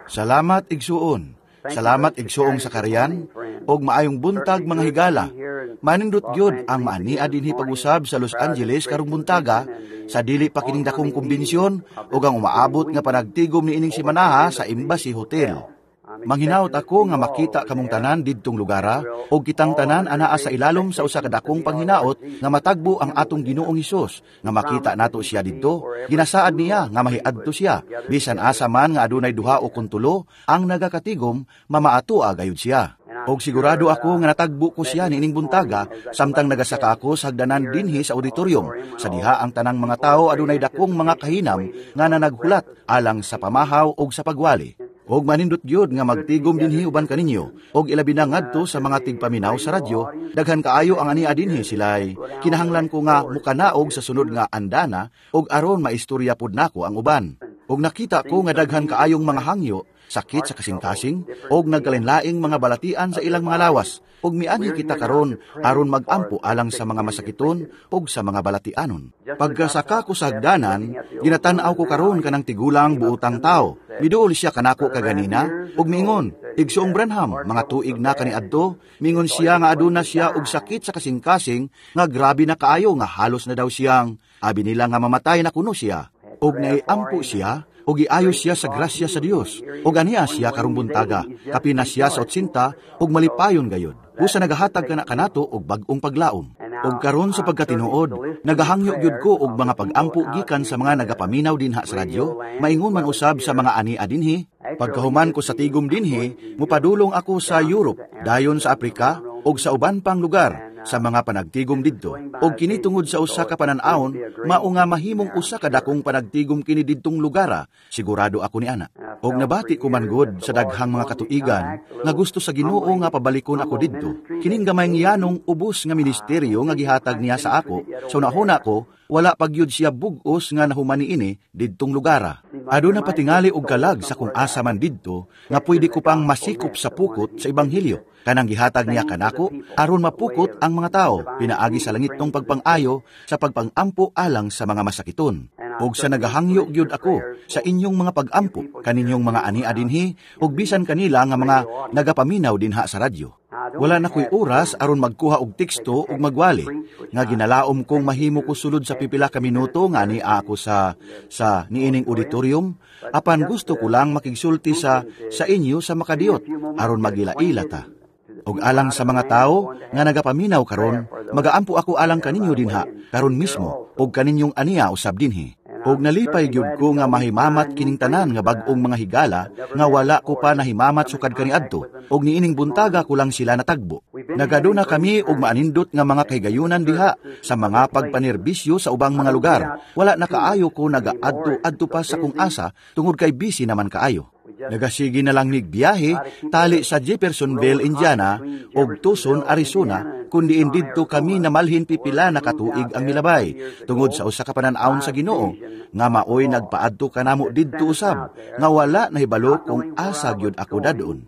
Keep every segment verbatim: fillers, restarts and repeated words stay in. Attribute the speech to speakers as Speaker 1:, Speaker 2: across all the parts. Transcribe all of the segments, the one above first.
Speaker 1: Salamat, igsuon. Salamat, igsuong Shakarian, og maayong buntag, mga higala. Manindot gyud ang maania dinhi pag-usab sa Los Angeles karong buntaga sa dili pa kining dakong kumbensyon ug ang umaabot nga panagtigom niining simanaha sa Embassy Hotel. Manghinaot ako nga makita kamong tanan didtong lugara ug kitang tanan anaa sa ilalom sa usa ka dakong panghinaot nga matagbo ang atong Ginoong Hesus nga makita nato siya didto. Ginasaad niya nga mahiadto siya bisan asa man nga adunay duha o kun tulo ang nagakatigom, mamaatoa gayud siya. Og sigurado ako nga natagbo ko siya niining buntaga samtang nagasaka ako sa hagdanan dinhi sa auditorium sa diha ang tanang mga tawo adunay dakong mga kahinam nga nanaghulat alang sa pamahaw og sa pagwali. Og manindot gyud nga magtigom dinhi uban kaninyo, og ilabi na ngadto sa mga tigpaminaw sa radyo. Daghan kaayo ang ania dinhi. Silay kinahanglan ko nga mukanaog sa sunod nga andana og aron maistorya pud nako ang uban. Og nakita ko nga daghan kaayong mga hangyo, sakit sa kasing-kasing og nagkalinlaing mga balatian sa ilang mga lawas. Ug mianhi kita karon aron magampo alang sa mga masakiton ug sa mga balatianon. Pagkasaka ko sa hagdanan, ginatan-aw ko karon kanang tigulang buotang tao. Miduol siya kanako kaganina ug miingon, "Igsoong Branham, mga tuig na kaniadto," mingon siya nga aduna siya og sakit sa kasing-kasing nga grabe na kaayo nga halos na daw siyang abi nila nga mamatay na kuno siya. Og naiampo siya ug giayo siya sa grasya sa Dios. Ug ania siya karong buntaga, kapin na siya sa otsinta ug malipayon gayud. Busa nagahatag kana kanato og bag-ong paglaom. Ug karon, sa pagkatinuod, nagahangyo gyud ko og mga pag-ampo gikan sa mga nagapaminaw dinha sa radyo, maingon man usab sa mga ania dinhi. Pagkahuman ko sa tigom dinhi, mupadulong ako sa Europe, dayon sa Afrika ug sa uban pang lugar sa mga panagtigom didto. Og kini tungod sa usa ka panan-awon, mao nga mahimong usa ka dakong panagtigom kini didtong lugara, sigurado ako ni ana. Og nabati ko man gud sa daghang mga katuigan nga gusto sa Ginoo nga pabalikon ako didto. Kining gamayng yanong ubos nga ministeryo nga gihatag niya sa ako, sa unahuna ko, wala pa gyud siya bug-os nga nahuman niini didtong lugara. Aduna patingali og kalag sa kung asa man didto nga pwede ko pang masikop sa pukot sa ebanghelyo. Kanang gihatag niya kanako aron mapukot ang mga tao pinaagi sa langitnong pagpang-ayo sa pagpangampo alang sa mga masakiton. Og sa nagahangyo gyud ako sa inyong mga pag-ampo kaninyong mga ania dinhi ug bisan kanila nga mga nagapaminaw dinha sa radyo. Wala na ko'y oras aron magkuha og teksto ug magwali nga ginalaom kong mahimo ko sulod sa pipila ka minuto nga ania ako sa sa niining auditorium, apan gusto ko lang makigsulti sa sa inyo sa makadiyot aron magila-ila ta. Og alang sa mga tao nga nagapaminaw karon, magaampo ako alang kaninyo dinha karon mismo ug kaninyong ania usab dinhi. Og nalipay gyud ko nga mahimamat kining tanan nga bag-ong mga higala nga wala ko pa nahimamat sukad kaniadto, ug niining buntaga ko lang sila natagbo. Nagaduna kami og maanindot nga mga kahigayunan diha sa mga pagpanerbisyo sa ubang mga lugar. Wala na kaayo ko nagaadto-adto pa sa kung asa tungod kay busy naman kaayo. Nagasigi na lang mig biyahe tali sa Jeffersonville, Indiana ug Tucson, Arizona, kun diin didto kami namalhin pipila na katuig ang milabay tungod sa usa ka panan-awon sa Ginoo nga maoy nagpaadto kanamo didto usab nga wala nahibalo kung asa gyud ako dadon.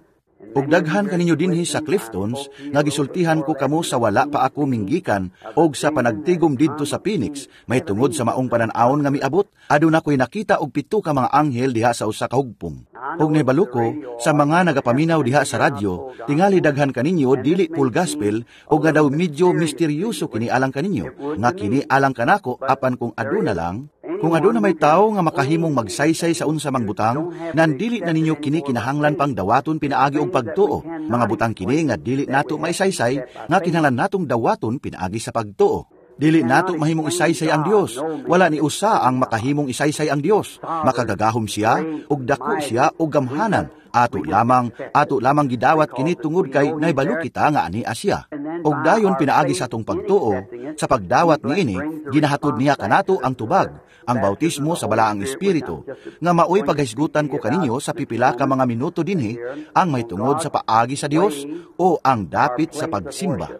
Speaker 1: Ug daghan kaninyo dinhi sa Cliftons nga gisultihan ko kamo sa wala pa ako minggikan og sa panagtigom didto sa Phoenix may tungod sa maong panan-awon nga miabot, aduna ko'y nakita og pito ka mga anghel diha sa usa ka hugpong. Ug nahibalo ko sa mga nagapaminaw diha sa radyo, tingali daghan kaninyo dili full gospel og nga daw medyo misteryoso kini alang kaninyo, nga kini alang kanako, apan kung aduna lang kung aduna may tawo nga makahimong magsaysay sa unsa mang butang, nan dili na ninyo kini kinahanglan pang dawaton pinaagi og pagtuo. Mga butang kini nga dili nato maisaysay, nga kinahanglan natong dawaton pinaagi sa pagtuo. Dili nato mahimong isaysay ang Dios. Wala ni usa ang makahimong isaysay ang Dios. Makagagahom siya, ug dako siya ug gamhanan. Ato lamang, ato lamang gidawat kini tungod kay nahibalo kita nga ania siya. Ug dayon pinaagi sa atong pagtuo, sa pagdawat niini, ginahatod niya kanato ang tubag, ang bautismo sa Balaang Espiritu, nga maoy paghisgutan ko kaninyo sa pipila ka mga minuto dinhi, ang mahitungod sa paagi sa Dios o ang dapit sa pagsimba.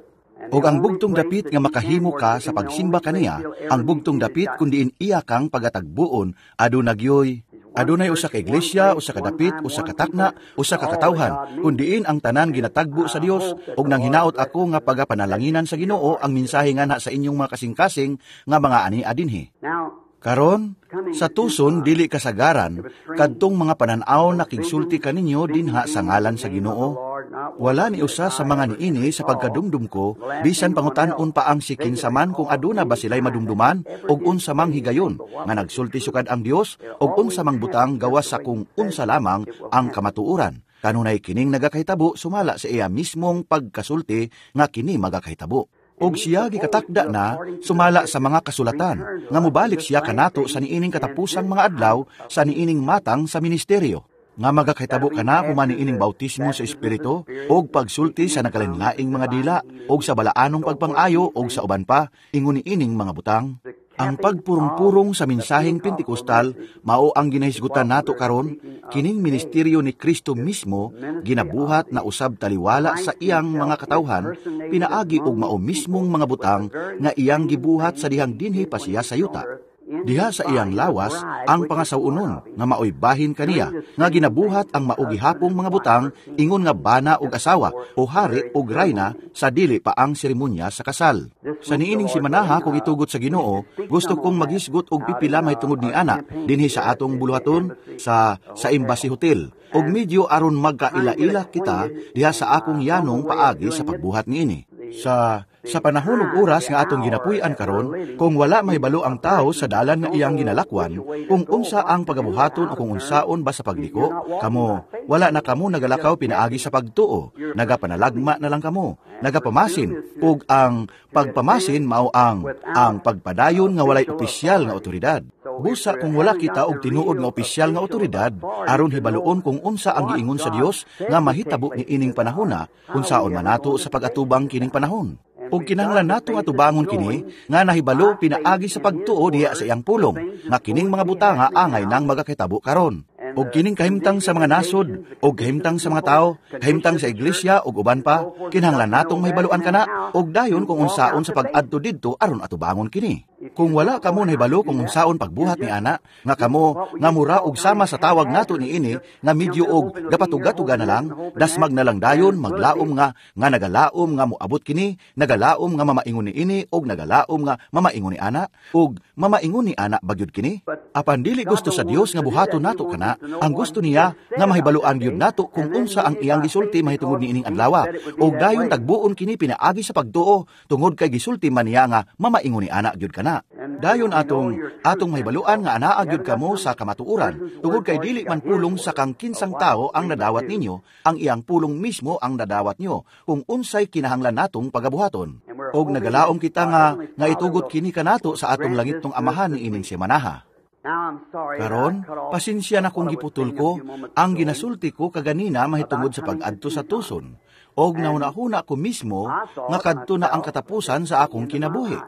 Speaker 1: Og ang bugtong dapit nga makahimo ka sa pagsimba kaniya, ang bugtong dapit kun diin iya kang pagatagbuon, aduna gyoy adunay usa ka iglesia, usa ka dapit, usa ka takna, usa ka katawhan, kun diin ang tanan ginatagbo sa Dios. Ug nang hinaot ako nga pagapanalanginan sa Ginoo ang mensahe nganha sa inyong mga kasing-kasing nga mga ania dinhi. Karon, sa Tucson dili kasagaran kadtong mga panan-aw nakigsulti kaninyo dinha sa ngalan sa Ginoo. Wala ni usa sa mga niini sa pagkadumdum ko, bisan pangutan-on pa ang si kinsa man kung aduna ba sila'y madumduman og unsa mang higayon nga nagsulti sukad ang Dios og unsa mang butang gawas sa kung unsa lamang ang kamatuoran. Kanunay kining nagakahitabo sumala sa iya mismong pagkasulti nga kini magakahitabo. Og siya gikatakda na sumala sa mga kasulatan nga mobalik siya kanato sa niining katapusang mga adlaw sa niining matang sa ministeryo nga magakahitabo kana human niining bautismo sa Espiritu og pagsulti sa nagkalainlaing mga dila og sa balaanong pagpangayo og sa uban pa ingon niining mga butang. Ang pagpurong-purong sa mensaheng Pentekostal mao ang ginahisgutan nato karon, kining ministeryo ni Kristo mismo ginabuhat na usab taliwala sa iyang mga katawhan pinaagi og mao mismong mga butang nga iyang gibuhat sa dihang dinhi pa siya sa yuta. Diha sa iyang lawas ang pangasaw-onon nga maoy bahin kaniya nga ginabuhat ang mao gihapong mga butang ingon nga bana og asawa o hari og rayna sa dili pa ang seremonya sa kasal. Sa niining simanaha kung itugot sa Ginoo, gusto kong maghisgot og pipila mahitungod ni ana dinhi sa atong buluhaton sa sa Embassy Hotel og medyo aron magkaila-ila kita diha sa akong yanong paagi sa pagbuhat niini. Sa sa panahon ug oras nga atong ginapuy-an karon, kung wala mahibalo ang tao sa dalan nga iyang ginalakwan, kung unsa ang pagabuhaton o kung unsaon ba sa pagliko, kamo wala na kamo nagalakaw pinaagi sa pagtuo, nagapanalagma na lang kamo, nagapamasin, ug ang pagpamasin mao ang ang pagpadayon nga walay opisyal nga otoridad. Busa kung wala kita og tinuod nga opisyal nga otoridad, aron hibaluon kung unsa ang giingon sa Dios nga mahitabo niining panahona, unsaon man nato sa pag-atubang kining panahon. Ug kinahanglan nato nga tubangon kini nga nahibalo pinaagi sa pagtuo diha sa iyang pulong, nga kining mga butanga angay nang magakahitabo karon. Og kining kahimtang sa mga nasod, og kahimtang sa mga tao, kahimtang sa iglesia ug uban pa, kinahanglan natong mahibaluan kana og dayon kung unsaon sa pag-adto didto aron atubangon kini. Kung wala kamo nahibalo kung unsaon pagbuhat ni ana, nga kamo nga mura og sama sa tawag nato niini nga medyo og gapatuga-tuga na lang, dasmag na lang dayon maglaom nga nga nagalaom nga moabot kini, nagalaom nga mamaingon niini og nagalaom nga mamaingon ni ana og mamaingon ni ana bagyod kini. Apan dili gusto sa Dios nga buhaton nato kana, ang gusto niya nga mahibaluan gyud nato kung unsa ang iyang gisulti mahitungod niining adlaw, og dayon tagbuon kini pinaagi sa pagtuo tungod kay gisulti man niya nga mamaingon ni ana gyud kana. Dayon atong atong mahibaluan nga anaa gyud kamo sa kamatuoran tungod kay dili man pulong sa kang kinsang tao ang nadawat ninyo, ang iyang pulong mismo ang nadawat nyo kung unsay kinahanglan natong pagabuhaton. Og nagalaom kita nga nga itugot kini kanato sa atong langitnong Amahan niining semanaha. Karon, pasensya na kung giputol ko ang ginasulti ko kaganina mahitungod sa pag-adto sa Tucson, og nahuna-huna ko mismo nga kadto na ang katapusan sa akong kinabuhi.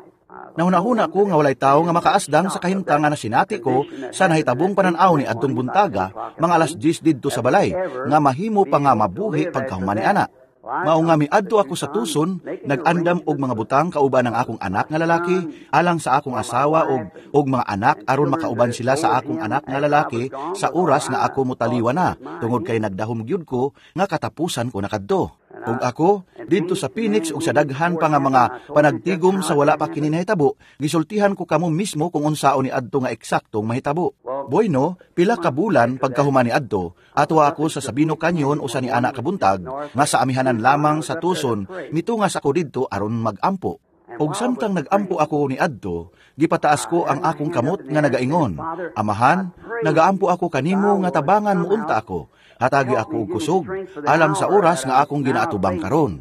Speaker 1: Nahuna-huna ko nga walay tawo nga makaasdang sa kahimtang nga nasinati ko sa nahitabong panan-aw ni adtong buntaga mga alas diyes didto sa balay nga mahimo pa nga mabuhi pagkahuman ni ana. Mao nga miadto ako sa Tucson, nag-andam og mga butang kauban ang akong anak nga lalaki, alang sa akong asawa og og mga anak aron makauban sila sa akong anak nga lalaki sa oras nga ako motaliwa na, tungod kay nagdahom gyud ko nga katapusan ko na kadto. Ug ako didto sa Phoenix ug sa daghan pa nga mga panagtigom sa wala pa kini nahitabo, gisultihan ko kamo mismo kung unsaon ni adto nga eksaktong mahitabo. Bueno, pila ka bulan pagkahuman ni adto, atwa ako sa Sabino Canyon usa ni anak kabuntag nga sa amihanan lamang sa Tucson, mitungas ako didto aron magampo. Ug samtang nagampo ako ni adto, gipataas ko ang akong kamot nga nagaingon, Amahan, nagaampo ako kanimo nga tabangan mo unta ako. Hatagi ako og kusog, alang sa oras nga akong ginaatubang karon.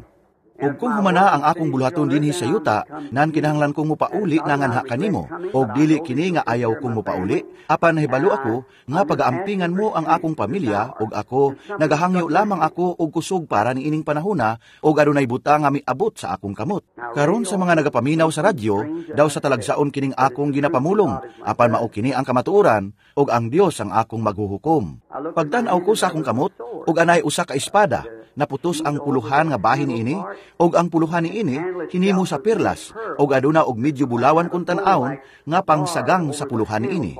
Speaker 1: Ug kung humana ang akong buluhaton dinhi sa yuta, nan kinahanglan kong mopauli nanganha kanimo, og dili kini nga ayaw kong mopauli, apan nahibalo ako nga pagaampingan mo ang akong pamilya, ug ako nagahangyo lamang ako og kusog para niining panahona, og adunay butang nga miabot sa akong kamot. Karon sa mga nagapaminaw sa radyo, daw sa talagsaon kining akong ginapamulong, apan mao kini ang kamatuoran, ug ang Dios ang akong maghuhukom. Pagtan-aw ko sa akong kamot, ug anay usa ka espada, naputos ang puluhan nga bahin niini, og ang puluhan niini hinimo sa perlas, og aduna og medyo bulawan kun tan-awon nga pangsagang sa puluhan niini.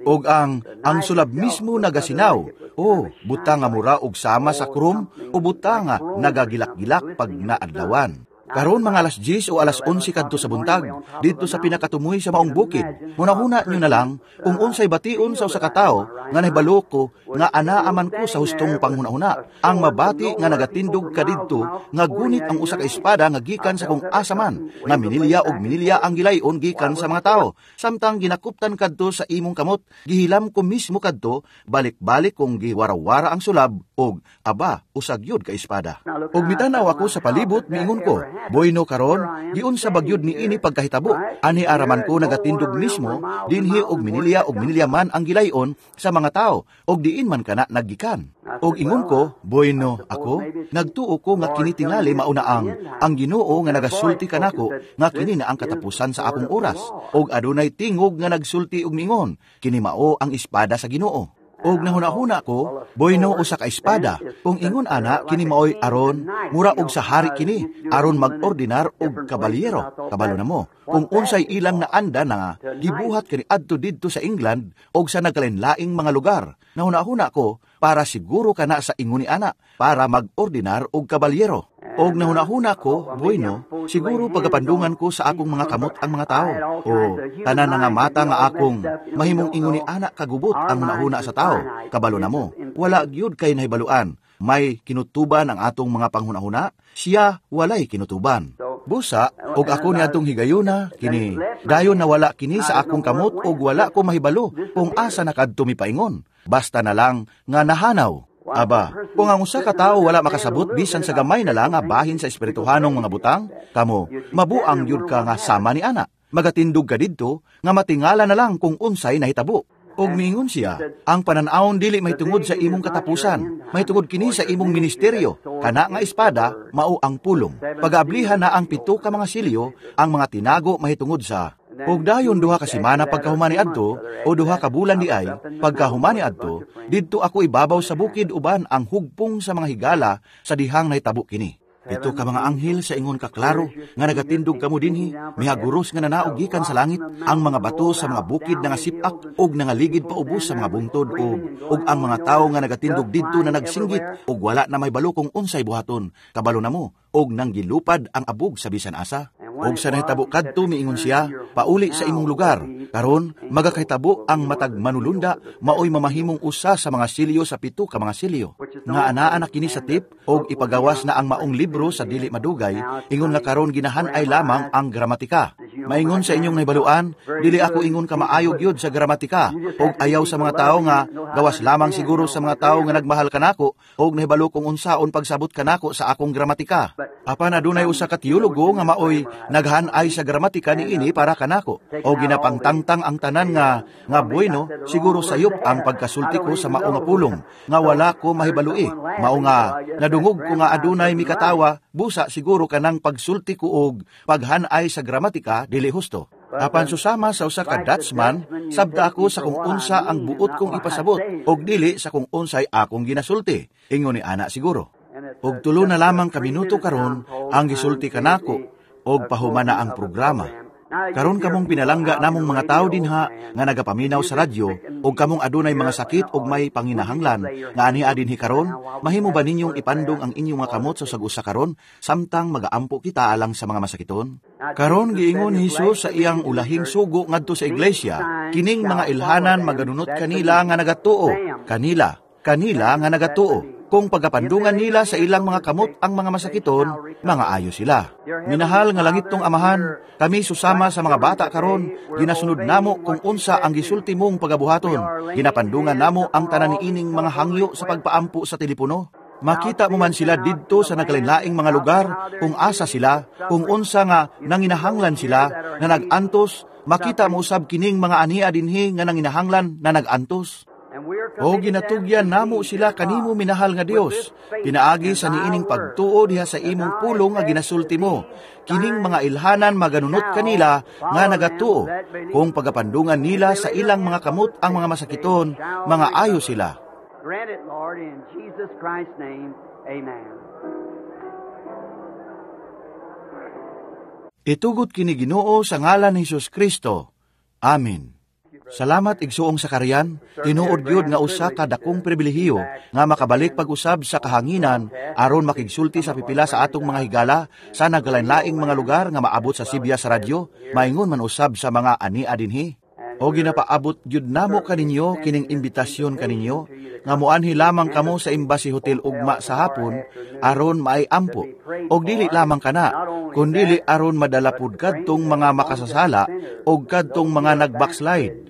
Speaker 1: Og ang ang sulab mismo nagasinaw, o butang nga mura og sama sa krom, o butang nga nagagilak-gilak pag naadlawan. Karon mga alas diyes o alas onse kadto sa buntag, didto sa pinakatumoy sa maong bukid. Hunahuna nyo na lang kung unsay bation sa usa ka tawo nga nahibalo ko nga anaa man ko sa hustong panghunahuna. Ang mabati nga nagatindog ka didto nga gunit ang usa ka espada nga gikan sa kung asa man, nga minilya og minilya ang gilayon gikan sa mga tawo. Samtang ginakuptan kadto sa imong kamot, gihilam ko mismo kadto, balik-balik kong giwarawara ang sulab og aba, usa gyud ka espada. Og mitanaw ako sa palibot, miingon ko, "Bueno karon, giunsa ba gyud ni ini pagkahitabo? Ani araman ko nagatindog mismo dinhi og minilya og minilya man ang gilayon sa mga tao og diin man kana naggikan." Og ingon ko, "Bueno, ako nagtuo ko nga kini tingali mao na ang ang Ginoo nga nagasulti kanako nga kini na ang katapusan sa akong oras." Og adunay tingog nga nagsulti og miingon, "Kini mao ang espada sa Ginoo." Og nahuna-huna ko, "Bueno, usa ka espada. Kung ingon ana, kini maoy aron, mura og sa hari kini, aron mag-ordinar og kabalyero." Kabalo na mo kung unsay ilang naanda na gibuhat kani adto didto sa England og sa nagkalainlaing mga lugar. Nahuna-huna ko, para siguro kana sa ingon ni ana, para mag-ordinar og kabalyero. Og nahuna-huna ko, "Bueno, siguro pagapandungan ko sa akong mga kamot ang mga tao." O, tanan na nga mata nga akong mahimong ingon ni ana kagubot ang hunahuna sa tao. Kabalo na mo, wala gyud kay nahibaluan. May kinutuban ang atong mga panghunahuna, siya walay kinutuban. Busa, og ako ni atong higayuna, kini, dayon nawala kini sa akong kamot og wala ko mahibalo kung asa na kadto mipaingon. Basta na lang nga nahanaw. Aba, kung ang usa ka tawo wala makasabot bisan sa gamay na lang nga bahin sa espirituhanong mga butang, kamo, mabuang gyud ka nga sama ni ana. Magatindog ka didto nga matingala na lang kung unsay nahitabo. Og miingon siya, "Ang pananawon dili mahitungod sa imong katapusan, mahitungod kini sa imong ministeryo. Kana nga espada mao ang pulong. Pagaablihan na ang pito ka mga silyo, ang mga tinago mahitungod sa." Og dayon duha ka semana pagkahuman ni adto o duha ka bulan di ay pagkahuman ni adto, didto ako ibabaw sa bukid uban ang hugpong sa mga higala sa dihang nahitabo kini. Pito ka mga anghel sa ingon ka klaro nga nagatindog kamo dinhi, mihaguros nga nanaog gikan sa langit, ang mga bato sa mga bukid nga sipak og nangaligid paubos sa mga bungtod og og ang mga tawo nga nagatindog didto na nagsinggit og wala na may balo kung unsay buhaton. Kabalo na mo og nanggilupad ang abog sa bisan asa. Og sa nahitabo kadto miingon siya, "Pauli sa imong lugar. Karon magakahitabo ang matag manulunda maoy mamahimong usa sa mga silyo sa pito ka mga silyo." Nga anaa na kini sa tip og ipagawas na ang maong libro sa dili madugay, ingon nga karon ginahan-ay lamang ang gramatika. Maingon sa inyong nahibaluan, dili ako ingon ka maayo gyud sa gramatika og ayaw sa mga tawo nga gawas lamang siguro sa mga tawo nga nagmahal kanako og nahibalo kung unsaon pagsabot kanako sa akong gramatika. Apan adunay usa ka teologo nga maoy naghan-ay sa gramatika niini para kanako o ginapangtangtang ang tanan nga nga bueno, siguro sayop ang pagkasulti ko sa mao nga pulong nga wala ko mahibalui. Mao nga nadungog ko nga adunay mikatawa, busa siguro kanang pagsulti ko og paghan-ay sa gramatika dili husto. Apan susama sa usa ka Dutchman, sabta ako sa kung unsa ang buot kong ipasabot og dili sa kung unsay akong ginasulti. Ingon ni ana siguro. Og tulo na lamang ka minuto karon ang gisulti kanako og pahuman na ang programa. Karon kamong pinalangga namong mga tawo dinha nga nagapaminaw sa radyo og kamong adunay mga sakit og may panginahanglan nga ania dinhi karon, mahimo ba ninyong ipandong ang inyong mga kamot sa usag-usa karon samtang magaampo kita alang sa mga masakiton? Karon giingon ni Hesus sa iyang ulahing sugo ngadto sa iglesia, "Kining mga ilhanan maganunot kanila nga nagatuo, kanila, kanila nga nagatuo. Kung pagapandungan nila sa ilang mga kamot ang mga masakiton, mga ayo sila." Minahal nga langitnong Amahan, kami susama sa mga bata karon, ginasunod namo kung unsa ang gisulti mong pagabuhaton. Ginapandungan namo ang tanan niining mga hangyo sa pagpaampo sa telepono. Makita mo man sila didto sa nagkalainlaing mga lugar, kung asa sila, kung unsa nga nanginahanglan sila, na nag-antos, makita mo usab kining mga ania dinhi nga nanginahanglan na nag-antos. O ginatugyan namo sila kanimo, minahal nga Dios, pinaagi sa niining pagtuo diha sa imong pulong nga ginasulti mo. "Kining mga ilhanan maganunot kanila nga nagatuo. Kung pagapandungan nila sa ilang mga kamot ang mga masakiton, mga ayo sila."
Speaker 2: Grant it, Lord, in Jesus Christ's name. Amen.
Speaker 1: Itugot kini Ginoo sa ngalan ni Hesus Kristo. Amen. Salamat, igsuong Sakarian. Tinuod gyud nga usa ka dakong pribilehiyo nga makabalik pag-usab sa kahanginan aron makigsulti sa pipila sa atong mga higala sa nagalain-laing mga lugar nga maabot sa sibya sa radyo, maingon man usab sa mga ania dinhi. O ginapaabot gyud namo kaninyo kining imbitasyon kaninyo nga moanhi lamang kamo sa Embassy Hotel ugma sa hapon aron maay ampo. Og dili lamang kana, kundili aron madala pud kadtong mga makasasala og kadtong mga nag-backslide.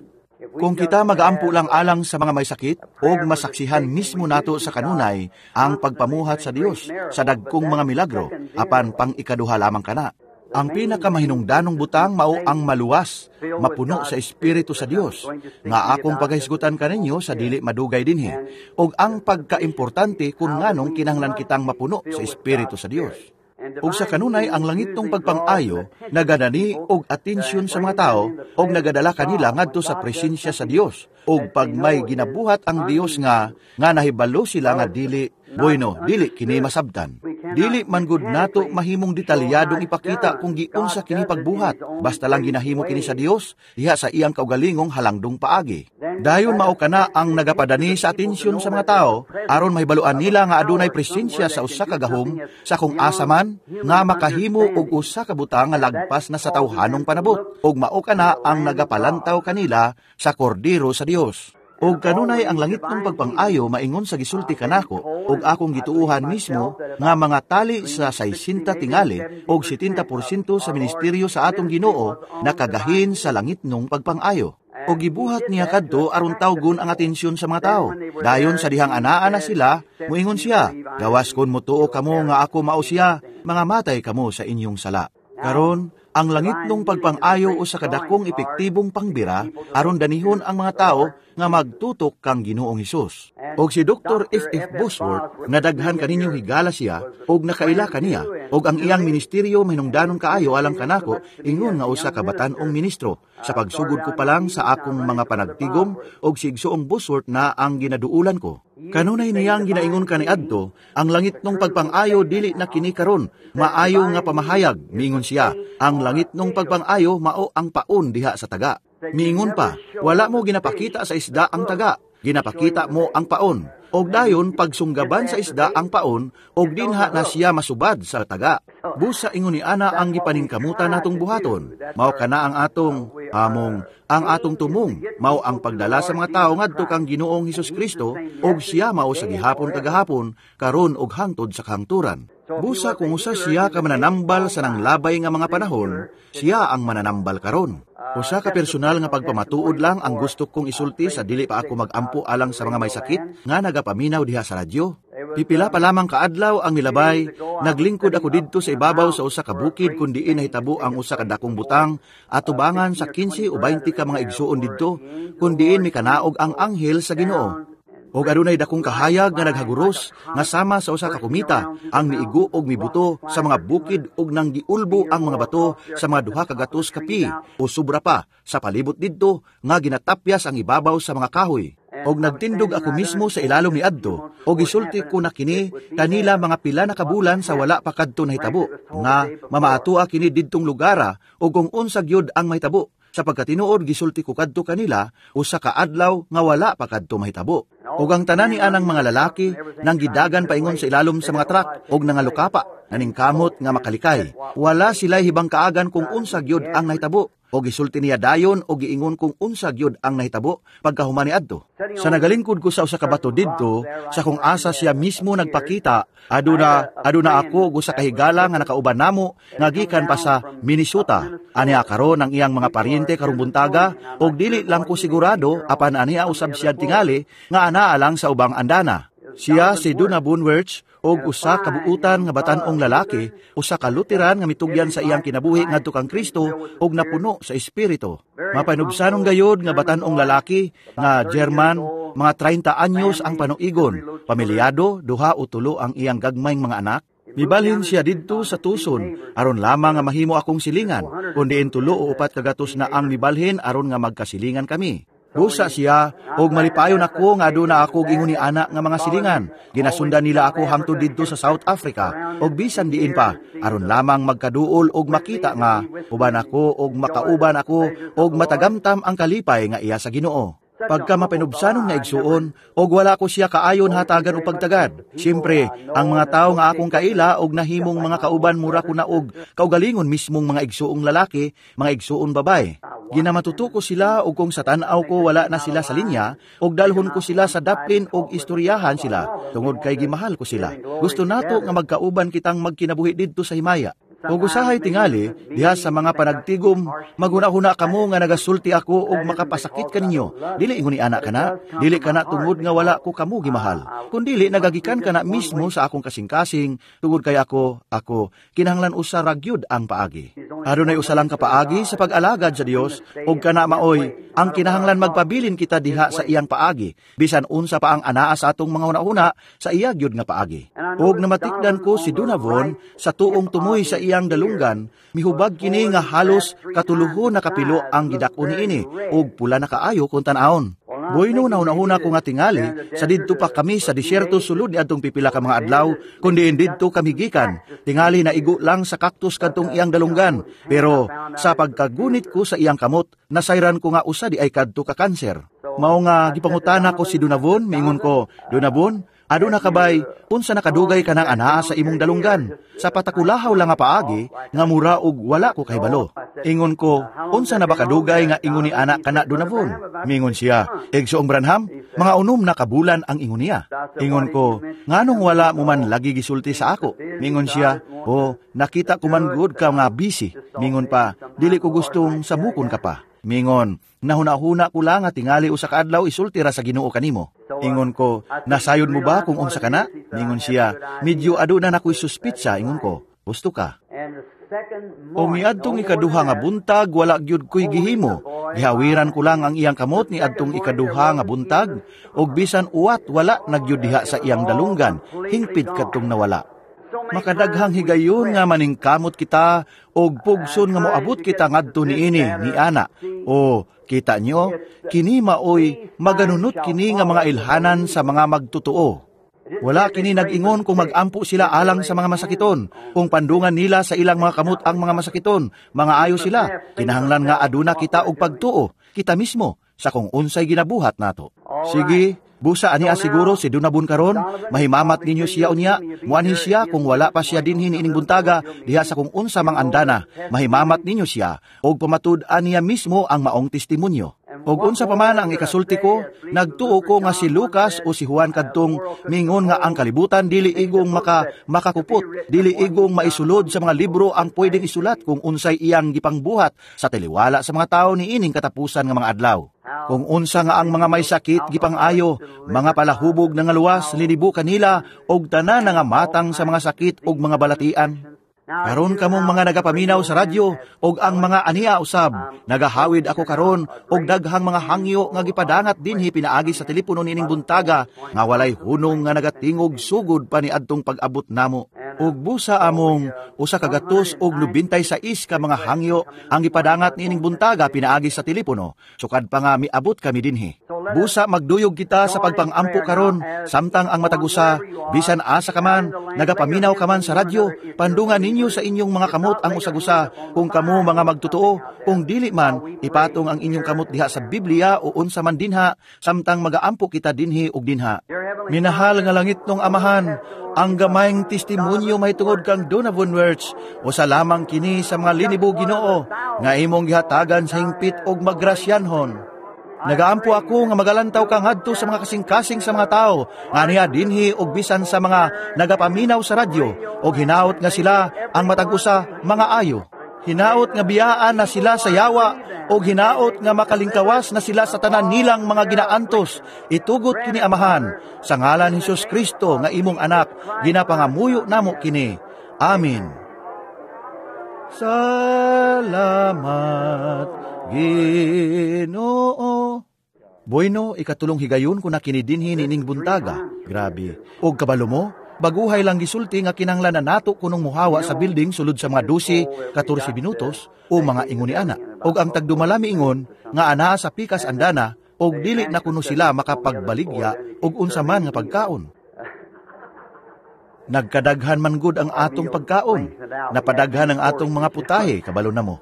Speaker 1: Kung kita magaampo lang alang sa mga may sakit og masaksihan mismo nato sa kanunay ang pagpamuhat sa Dios sa dagkong mga milagro, apan pang ikaduha lamang kana. Ang pinakamahinungdanong butang mao ang maluwas, mapuno sa Espiritu sa Dios, nga akong pagahisgutan kaninyo sa dili madugay dinhi, ug ang pagkaimportante kung nganong kinahanglan kitang mapuno sa Espiritu sa Dios. Ug sa kanunay ang langitnong pagpang-ayo nagadani og atensyon sa mga tao og nagadala kanila ngadto sa presensya sa Dios. Ug pag may ginabuhat ang Dios nga nga nahibalo sila nga dili bueno, dili kini masabtan. Dili man gud nato mahimong detalyadong ipakita kung giunsa kini pagbuhat. Basta lang ginahimo kini sa Dios diha sa iyang kaugalingong halangdong paagi. Dayon mao kana ang nagapadani sa atensyon sa mga tao aron mahibaluan nila nga adunay presensya sa usa ka gahom sa kung asa man nga makahimo og usa ka butang nga lagpas na sa tawhanong panabot, ug mao kana ang nagapalantaw kanila sa kordero sa Dios. Og kanunay ang langitnong pagpang-ayo maingon sa gisulti kanako og akong gituohan mismo nga mga tali sa saisinta tingali og setenta porsyento sa ministeryo sa atong Ginoo nakagahin sa langitnong pagpang-ayo. O gibuhat niya kadto aron tawgon ang atensyon sa mga tao. Dayon sa dihang anaa na sila, muingon siya, gawas kon motuo kamo nga ako mao siya, mga matay kamo sa inyong sala. Karon, ang langitnong pagpang-ayo usa ka dakong epektibong pangbira aron danihon ang mga tao nga magtutok kang Ginoong Hesus. Og si Doctor F F Bosworth nga daghan kaninyo higala siya og nakaila kaniya og ang iyang ministeryo mahinungdanon kaayo alang kanako ingon nga usa ka batan-ong ministro. Sa pagsugod ko pa lang sa akong mga panagtigom og si Igsoong Bosworth na ang ginaduulan ko. Kanunay niyang ginaingon kaniadto, ang langitnong pagpang-ayo dili na kini karon, maayo nga pamahayag, miingon siya. Ang langitnong pagpang-ayo mao ang paon diha sa taga. Miingon pa, wala mo ginapakita sa isda ang taga, ginapakita mo ang paon. Og dayon pagsunggaban sa isda ang paon, og dinha na siya masubad sa taga. Busa ingon ni ana ang gipaningkamutan natong buhaton. Mao kana ang atong among, ang atong tumong, mao ang pagdala sa mga tao ngadto kang Ginoong Hesus Kristo, og siya mao sa gihapon kagahapon, karon og hangtod sa kahangturan. Busa kung usa siya ka mananambal sa nanglabay nga mga panahon, siya ang mananambal karon. Usa ka personal nga pagpamatuod lang ang gusto kong isulti sa dili pa ako magampo alang sa mga may sakit nga nagapaminaw diha sa radyo. Pipila pa lamang kaadlaw ang nilabay, naglingkod ako didto sa ibabaw sa usa ka bukid kun diin nahitabo ang usa ka dakong butang atubangan sa kinse o baynte ka mga igsuon didto kun diin mikanaog ang anghel sa Ginoo. Og adunay dakong kahayag nga naghaguros nga sama sa usa ka kumita ang miigo og mibuto sa mga bukid og nanggiulbo ang mga bato sa mga duha ka gatos ka pi o sobra pa sa palibot didto nga ginatapyas ang ibabaw sa mga kahoy. Og nagtindog ako mismo sa ilalom ni adto og gisulti ko na kini kanila mga pila na kabulan sa wala pa kadto nahitabo nga mamaatua kini didtong lugara og kung unsa gyud ang mahitabo, sapagkat tinuod gisulti ko kadto kanila usa ka adlaw nga wala pa kadto mahitabo. Og ang tanan ni anang mga lalaki nang gidagan paingon sa ilalom sa mga truck og nangalukapa naningkamot nga makalikay. Wala sila hibang kaagan kung unsa gyud ang nahitabo. Og gisulti niya dayon og giingon kung unsa gyud ang nahitabo pagkahuman ni adto. Sa nagalingkod ko sa usa ka bato didto, sa kung asa siya mismo nagpakita, aduna aduna ako og usa ka higala nga nakauban namo nga gikan pa sa Minnesota. Aniya karon ang iyang mga paryente karong buntaga og dili lang ko sigurado apan aniya usab siya tingali nga anaa lang sa ubang andana. Siya si Donna Bonewirch og usa ka buutan nga batan-ong lalaki, usa ka Lutheran nga mitugyan sa iyang kinabuhi ngadto kang Kristo og napuno sa Espiritu. Mapanubsanon gayod nga batan-ong lalaki nga German, mga treinta anyos ang panuigon, pamilyado, duha o tulo ang iyang gagmayng mga anak. Mibalhin siya didto sa Tucson aron lamang nga mahimo akong silingan, kundi tulo o upat kagatos na ang mibalhin aron nga magkasilingan kami. Busa siya, og malipayon ako nga aduna ako ingon ni ana nga mga silingan. Ginasundan nila ako hangtod didto sa South Africa, og bisan diin pa, aron lamang magkaduol og makita nga uban ako og makauban ako og matagamtam ang kalipay nga iya sa Ginoo. Pagka mapinubsanon nga igsuon, og wala ko siya kaayon hatagan o pagtagad. Siyempre, ang mga tao nga akong kaila og nahimong mga kauban mura ko na og kaugalingon mismong mga igsuong lalaki, mga igsuon babae. Ginamatuto ko sila og kung sa tan-aw ko wala na sila sa linya, og dalhon ko sila sa daplin og istoryahan sila, tungod kay gimahal ko sila. Gusto nato nga magkauban kitang magkinabuhi didto sa himaya. Ug usahay tingali, diha sa mga panagtigom, maghuna-huna kamo nga nagasulti ako og makapasakit kaninyo. Dili ingon ni ana kana, dili kana tungod nga wala ko kamo gimahal. Kun dili nagagikan kana mismo sa akong kasing-kasing, tungod kay ako, ako, kinahanglan usa ra gyud ang paagi. Adunay usa lang ka paagi sa pag-alagad sa Dios, ug kana maoy ang kinahanglan magpabilin kita diha sa iyang paagi, bisan unsa pa ang anaa sa atong mga hunahuna sa iya gyud nga paagi. Ug namatikdan ko si Donavon sa tuong tumoy sa iyang dalunggan, mihubag kini nga halos katuluhon na kapilo ang gidak-on niini ug pula na kaayo kung tan-awon. Bueno, nahuna-huna ko nga tingali sa didto pa kami sa disyerto sulod ni adtong pipila ka mga adlaw, kundi didto kami gikan. Tingali na igo lang sa kaktus kadtong iyang dalunggan, pero sa pagkagunit ko sa iyang kamot, nasayran ko nga usa di ay kadto ka kanser. Mao nga gipangutana ko si Donavon, miingon ko, "Donavon, aduna kabay, unsa nakadugay ka nang anaa sa imong dalunggan? Sa patakulahaw lang nga paagi, nga mura og wala ko kahibalo." Ingon ko, "Unsa na ba kadugay nga ingon ni ana kana, Donavon?" Mingon siya, "Igsoong Branham, mga unom na kabulan ang ingon niya." Ingon ko, "Nganong wala mo man lagi gisulti sa ako?" Mingon siya, "Oh, nakita ko man gud ka nga busy." Mingon pa, "Dili ko gustong samukon ka pa." Mingon, "Nahuna-huna ko lang nga tingali usa ka adlaw isulti ra sa Ginoo kanimo." Ingon ko, "Nasayod mo ba kung unsa kana?" Mingon siya, "Medyo aduna na ko'y suspitsa." Ingon ko, "Gusto ka." O miadtong ikaduha nga buntag, wala gyud ko'y gihimo. Gihawiran ko lang ang iyang kamot ni adtong ikaduha nga buntag, og bisan uwat wala nagyud diha sa iyang dalunggan, hingpit kadtong nawala. Makadaghang higayon nga maningkamot kita og pugson nga moabot kita ngadto niini ni ana. O kita nyo, kini maoy maganunot kini nga mga ilhanan sa mga magtotoo. Wala kini nag-ingon kung magampo sila alang sa mga masakiton, kung pandungan nila sa ilang mga kamot ang mga masakiton, mga ayo sila. Kinahanglan nga aduna kita og pagtuo, kita mismo, sa kung unsay ginabuhat nato. Sige, busa ani siguro si Donavon karon, mahimamat ninyo siya unya, muanhi siya kung wala pa siya dinhi niining buntaga, diha sa kung unsa mang andana, mahimamat ninyo siya, og pamatud-an niya mismo ang maong testimonyo. Og unsa pa man ang ikasulti ko, nagtuo ko nga si Lucas o si Juan kadtong mingon nga ang kalibutan dili igong maka makakupot, dili igong maisulod sa mga libro ang pwedeng isulat kung unsay iyang gipangbuhat sa taliwala sa mga tawo niining katapusan nga mga adlaw. Kung unsa nga ang mga may sakit gipang-ayo, mga palahubog na nga luwas linibo kanila og tanan nga matang sa mga sakit og mga balatian. Karon kamong mga nagapaminaw sa radyo og ang mga ania usab, nagahawid ako karon og daghang mga hangyo nga gipadangat dinhi pinaagi sa telepono niining buntaga nga walay hunong nga nagatingog sugod pa ni adtong pag-abot namo. Ug busa among usa ka gatos og nobentay sais ka mga hangyo ang gipadangat niining buntaga pinaagi sa telepono, sukad pa nga miabot kami dinhi. Busa magduyog kita sa pagpangampo karon, samtang ang matag usa, bisan asa ka man, nagapaminaw ka man sa radyo, pandungan ninyo sa inyong mga kamot ang usag-usa, kung kamo mga magtotoo, kung dili man, ipatong ang inyong kamot diha sa Biblia o unsa man dinha, samtang magaampo kita dinhi ug dinha. Minahal nga langit nong Amahan, ang gamayng testimonyo mahitungod kang Donavon Wirtz, usa lamang kini sa mga linibo Ginoo, nga imong gihatagan sa hingpit og magrasyanhon. Nagaampo ako nga magalantaw kang hadto sa mga kasing-kasing sa mga tao, nga niya dinhi og bisan sa mga nagapaminaw sa radyo, og hinaot nga sila ang matag usa mga ayo. Hinaot nga biyaan na sila sa yawa, og hinaot nga makalingkawas na sila sa tanan nilang mga ginaantos. Itugot kini Amahan, sa ngalan ni Hesus Kristo nga imong anak, ginapangamuyo namo kini. Amen. Salamat, Ginoo. Bueno, ikatulong higayon ko na kini dinhi nining buntaga. Grabe. Og kabalo mo, baguhay lang gisulti nga kinahanglan na nato kunong muhawa sa building sulod sa mga dose, katorse minutos o mga ingon ni ana. Og ang tagdumala miingon nga anaa sa pikas andana Og dili na kuno sila makapagbaligya og unsa man nga pagkaon. Nagkadaghan man gud ang atong pagkaon. Napadaghan ang atong mga putahe, kabalo na mo.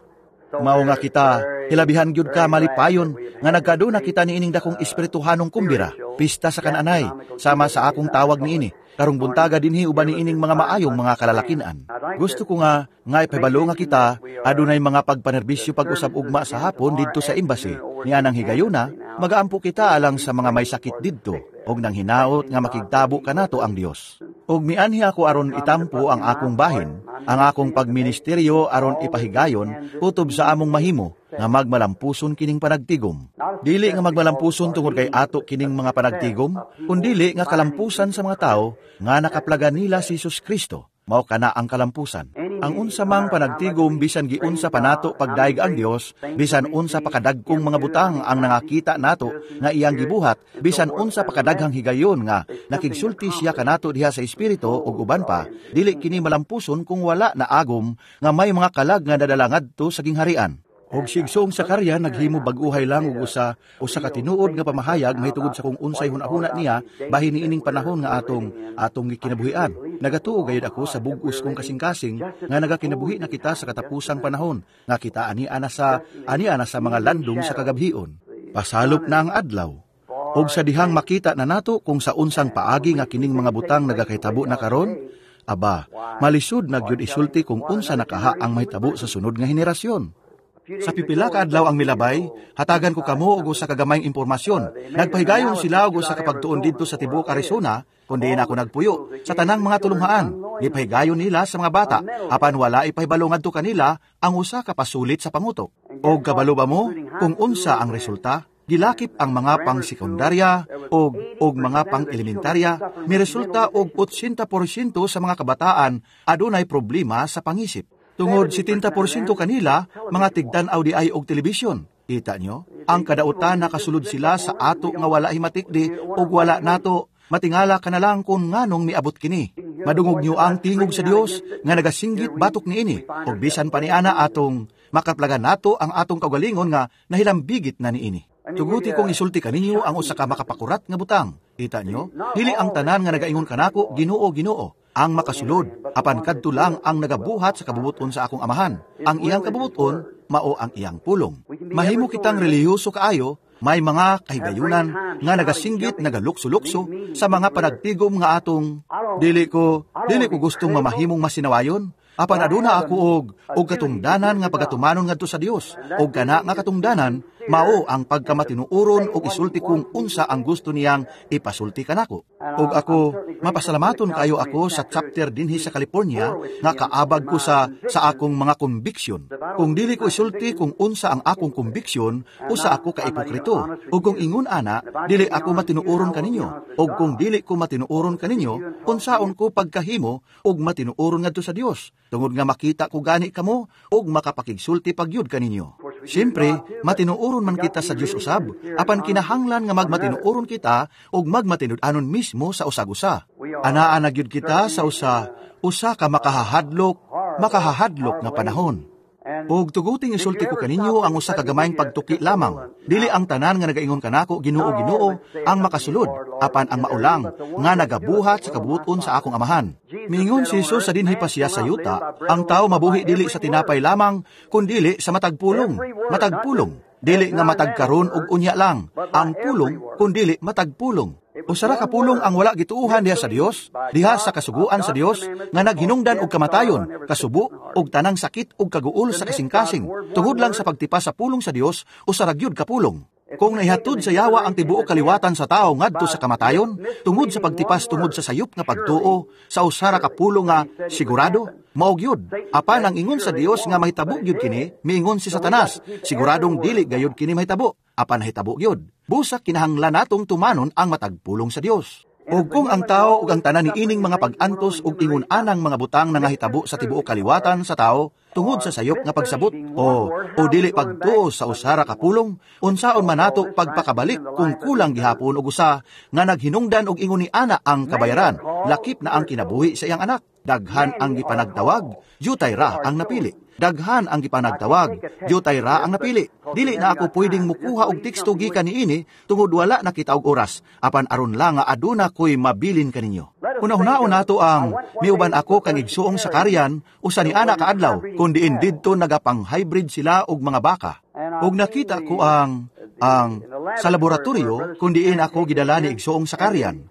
Speaker 1: Mao nga kita, hilabihan gyud ka malipayon nga nagkaduna kita niining dakong espirituhanong kumbira, pista sa kananay, sama sa akong tawag niini. Karong buntaga dinhi uban niining mga maayong mga kalalakinan. Gusto ko nga nga ipahibalo nga kita adunay mga pagpanerbisyo pag-usab ugma sa hapon didto sa embassy. Nianang higayuna, magaampo kita alang sa mga may sakit didto og nang hinaot nga makigtabo kanato ang Dios. Og mianhi ako aron itampo ang akong bahin, ang akong pagministeryo aron ipahigayon kutob sa among mahimo nga magmalampuson kining panagtigom. Dili nga magmalampuson tungod kay ato kining mga panagtigom, kundili nga kalampusan sa mga tao nga nakaplaga nila si Jesus Kristo. Mao kana ang kalampusan. Ang unsa mang panagtigom bisan giunsa pa nato pagdaig ang Dios, bisan unsa pa kadagkong mga butang ang nangakita nato nga iyang gibuhat, bisan unsa pa kadaghang higayon nga nakigsulti siya kanato diha sa espiritu ug uban pa, dili kini malampuson kung wala na agom nga may mga kalag nga nadala ngadto sa gingharian. Og si Igsoong Zacaria naghimo bag-uhay lang og usa usa ka tinuod nga pamahayag mahitungod sa kung unsay hunahuna niya bahin niining panahon nga atong atong gikinabuhian. Nagatuo gayud ako sa bug-os kong kasing-kasing nga nagakinabuhi na kita sa katapusang panahon nga kita ani ana sa ani ana sa mga landong sa kagabhion. Pasalop na ang adlaw. Og sa dihang makita na nato kung sa unsang paagi nga kining mga butang nagakahitabo na karon, aba, malisod na gyud isulti kung unsa nakaha ang mahitabo sa sunod nga henerasyon. Sa pipila ka adlaw ang milabay, hatagan ko kamo og usa ka gamayng impormasyon. Nagpahigayon sila og usa ka pagtuon didto sa tibuok Arizona, kun diin ako nagpuyo, sa tanang mga tulunghaan. Gipahigayon nila sa mga bata, apan wala ipahibalo ngadto kanila ang usa ka pasulit sa pangutok. Og kabalo ba mo kung unsa ang resulta? Gilakip ang mga pang-sekundarya og og mga pang-elementarya, miresulta og eighty porsyento sa mga kabataan adunay problema sa pangisip. Tungod seventy porsyento kanila, mga tigtan-aw di ay og telebisyon. Kita nyo? Ang kadautan nakasulod sila sa ato nga wala himatikdi og wala nato. Matingala ka na lang kung nganong miabot kini. Madungog nyo ang tingog sa Dios nga nagasinggit batok niini. Og bisan pa niana atong makaplagan nato ang atong kaugalingon nga nahilambigit na niini. Tuguti kong isulti kaninyo ang usa ka makapakurat nga butang. Kita nyo? Dili ang tanan nga nagaingon kanako, Ginoo, Ginoo, ang makasulod, apan kadto lang ang nagabuhat sa kabubuton sa akong amahan. Ang iyang kabubuton, mao ang iyang pulong. Mahimo kitang relihiyoso kaayo, may mga kahigayunan nga nagasinggit, nagalukso-lukso sa mga panagtigom nga atong dili ko, dili ko gustong mamahimong masinawayon. Apan aduna ako og og katungdanan nga pagatumanon ngadto sa Dios, og kana nga katungdanan mao ang pagkamatinuoron og isulti kung unsa ang gusto niyang ipasulti kanako. Og ako mapasalamaton kayo ako sa chapter dinhi sa California nga kaabag ko sa sa akong mga conviction. Kung dili ko isulti kung unsa ang akong conviction, usa ako ka ipokrito. Og kung ingon ana, dili ako matinuoron kaninyo. Og kung dili ko matinuoron kaninyo, unsaon ko pagkahimo og matinuoron ngadto sa Dios? Tungod nga makita ko gani kamo og makapakigsulti pagyud kaninyo. Siyempre, matinuoron man kita sa Dios usab, apan kinahanglan nga magmatinuoron kita og magmatinud-anon mismo sa usag-usa. Anaa na gyud kita sa usa, usa ka makahahadlok, makahahadlok nga panahon. Og tuguting isulti ko kaninyo ang usa ka gamayng pagtuki lamang. Dili ang tanan nga nagaingon kanako, Ginoo, Ginoo, ang makasulod, apan ang maulang nga nagabuhat sa kabuoton sa akong amahan. Miingon si Jesus sa dinhi pa siya sa yuta, ang tao mabuhi dili sa tinapay lamang, kundili sa matag pulong, matag pulong. Dili nga matag karon og unya lang, ang pulong, kundili matag pulong. Usa ra ka pulong ang wala gituohan diha sa Dios, diha sa kasuguan sa Dios nga naghinungdan og kamatayon, kasubo og tanang sakit og kaguol sa kasing-kasing. Tungod lang sa pagtipas sa pulong sa Dios, usa ra gyud ka pulong. Kung naihatod sa yawa ang tibuok kaliwatan sa tao ngadto sa kamatayon, tungod sa pagtipas tungod sa sayop nga pagtuo, sa usa ra ka pulong nga sigurado, mao gyud. Apan ang ingon sa Dios nga mahitabo gyud kini, miingon si Satanas, siguradong dili gayud kini mahitabo, apan nahitabo gyud. Busa kinahanglan natong tumanon ang matag pulong sa Dios. O kung ang tao ug ang tanan niining mga pag-antos ug ingon anang mga butang nangahitabo sa tibuok kaliwatan sa tao tungod sa sayop nga pagsabot o o dili pagtuo sa usa ra ka pulong, unsaon man nato pagpakabalik kung kulang gihapon og usa nga naghinungdan og ingon ni ana ang kabayaran, lakip na ang kinabuhi sa iyang anak. Daghan ang gipanagtawag, jutay ra ang napili. Daghan ang gipanagtawag, jutay ra ang napili. Dili na ako pwedeng mukuha og teksto gikan niini tungod wala na kita og oras, apan aron lang nga aduna ko'y mabilin kaninyo. Una-unaon nato ang miuban ako kang igsuong Sakarian usa ni ana kaadlaw kun diin didto nagapang-hybrid sila og mga baka. Ug nakita ko ang ang sa laboratorio kun diin ako gidala ni igsuong Sakarian.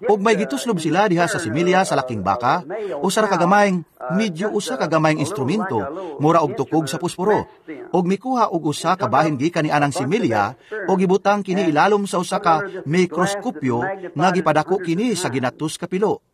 Speaker 1: Ug may gituslob sila diha sa similya sa laking baka, usa ra ka gamayng medyo usa ka gamayng instrumento, mura og tukog sa pusporo. Ug mikuha og usa ka bahin gikan ni anang similya ug gibutang kini ilalom sa usa ka mikroskopyo nga gipadako kini sa ginatos ka pilo.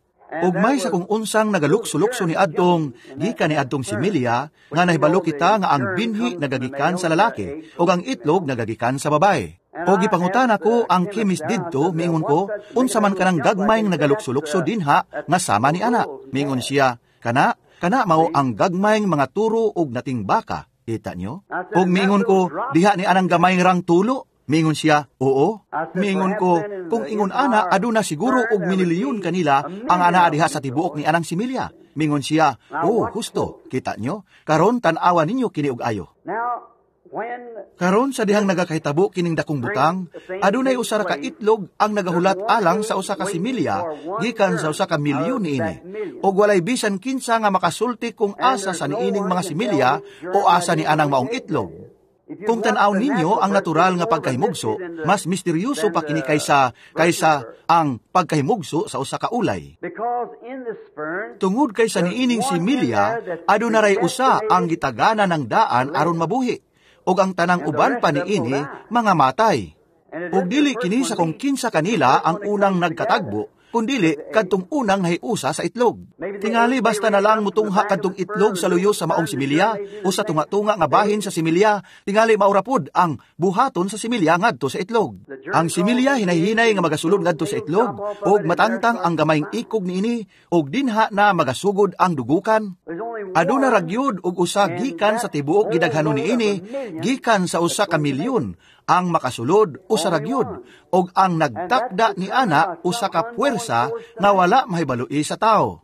Speaker 1: Ug may sa kung unsang nagalukso-lukso ni adtong gikan ni adtong similya nga nahibalo kita nga ang binhi nagagikan sa lalaki ug ang itlog nagagikan sa babae. O gipangutana ko ang chemist didto, miingon ko, unsa man kanang gagmayng nagalukso-lukso dinha nga sama ni ana. Miingon siya, kana, kana mao ang gagmayng mga turo og nating baka. Kita nyo? Og miingon ko, diha ni anang gamay rang tulo. Miingon siya, oo. Miingon ko, kung ingon ana, aduna siguro og minilyon kanila ang ana diha sa tibuok ni anang similya. Miingon siya, oo, husto. Kita nyo? Karon tan-awa ninyo kini og ayo. Karon sa dihang nagakahitabo kining dakong butang, adunay usa ra ka itlog ang nagahulat alang sa usa ka similya gikan sa usa ka milyon niini. Og walay bisan kinsa nga makasulti kung asa sa niining mga similya o asa ni anang maong itlog. Kung tan-aw ninyo ang natural nga pagkahimugso, mas misteryoso pa kini kaysa kaysa ang pagkahimugso sa usa ka ulay. Tungod kay sa niining similya, aduna ray usa ang gitagana ng daan aron mabuhi, ug ang tanang uban pa niini mga matay. Ug dili kini sa kung kinsa kanila ang unang nagkatagbo, kundili kadtong unang nahiusa sa itlog. Tingali basta na lang mutungha kadtong itlog sa luyo sa maong similya o sa tunga-tunga nga bahin sa similya, tingali maurapod ang buhaton sa similya ngadto sa itlog. Ang similya hinay-hinay nga magasulod ngadto sa itlog ug matangtang ang gamayng ikog niini ug dinha na magasugod ang dugukan. Aduna ra gyud og usa gikan sa tibuok gidaghanon niini, gikan sa usa ka milyon ang makasulod usa ra gyud, og ang nagtakda ni ana usa ka puwersa nga wala mahibaloi sa tawo.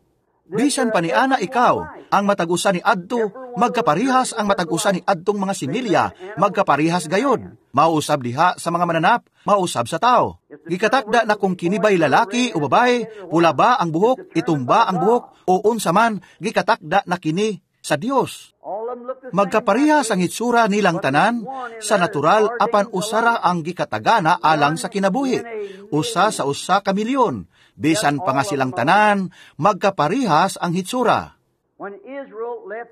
Speaker 1: Bisan pa ni ana ikaw, ang matag usa ni adto, magkaparihas ang matag usa ni adtong mga similya, magkaparihas gayod. Mausab diha sa mga mananap, mausab sa tao. Gikatakda na kung kini ba'y lalaki o babae, pula ba ang buhok, itom ba ang buhok, o unsa man, gikatakda na kini sa Dios. Magkaparihas ang hitsura nilang tanan sa natural apan usara ang gikatagana alang sa kinabuhi. Usa sa usa ka milyon, bisan pa nga silang tanan, magkaparihas ang hitsura.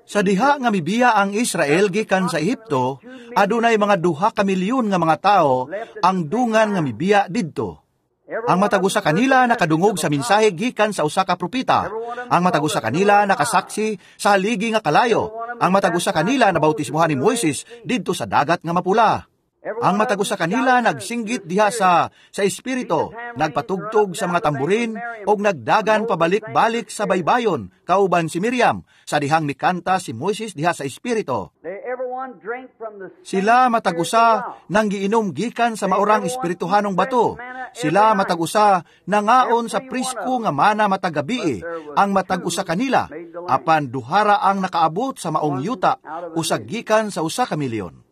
Speaker 1: Sa diha nga mibiya ang Israel gikan sa Ehipto, adunay mga duha ka milyon nga mga tawo ang dungan nga mibiya didto. Ang matag usa kanila nakadungog sa mensahe gikan sa usa ka propeta. Ang matag usa kanila nakasaksi sa haligi nga kalayo. Ang matag usa kanila nabautismohan ni Moises didto sa dagat nga mapula. Ang matag usa kanila nagsinggit diha sa sa espiritu, nagpatugtog sa mga tamburin og nagdagan pabalik-balik sa baybayon kauban si Miriam sa dihang mikanta si Moises diha sa espiritu. Sila matag usa nang giinom gikan sa maurang espirituhanong bato. Sila matag usa nangaon sa prisko nga mana matag gabii ang matag usa kanila, apan duhara ang nakaabot sa maong yuta, usa gikan sa usa ka milyon.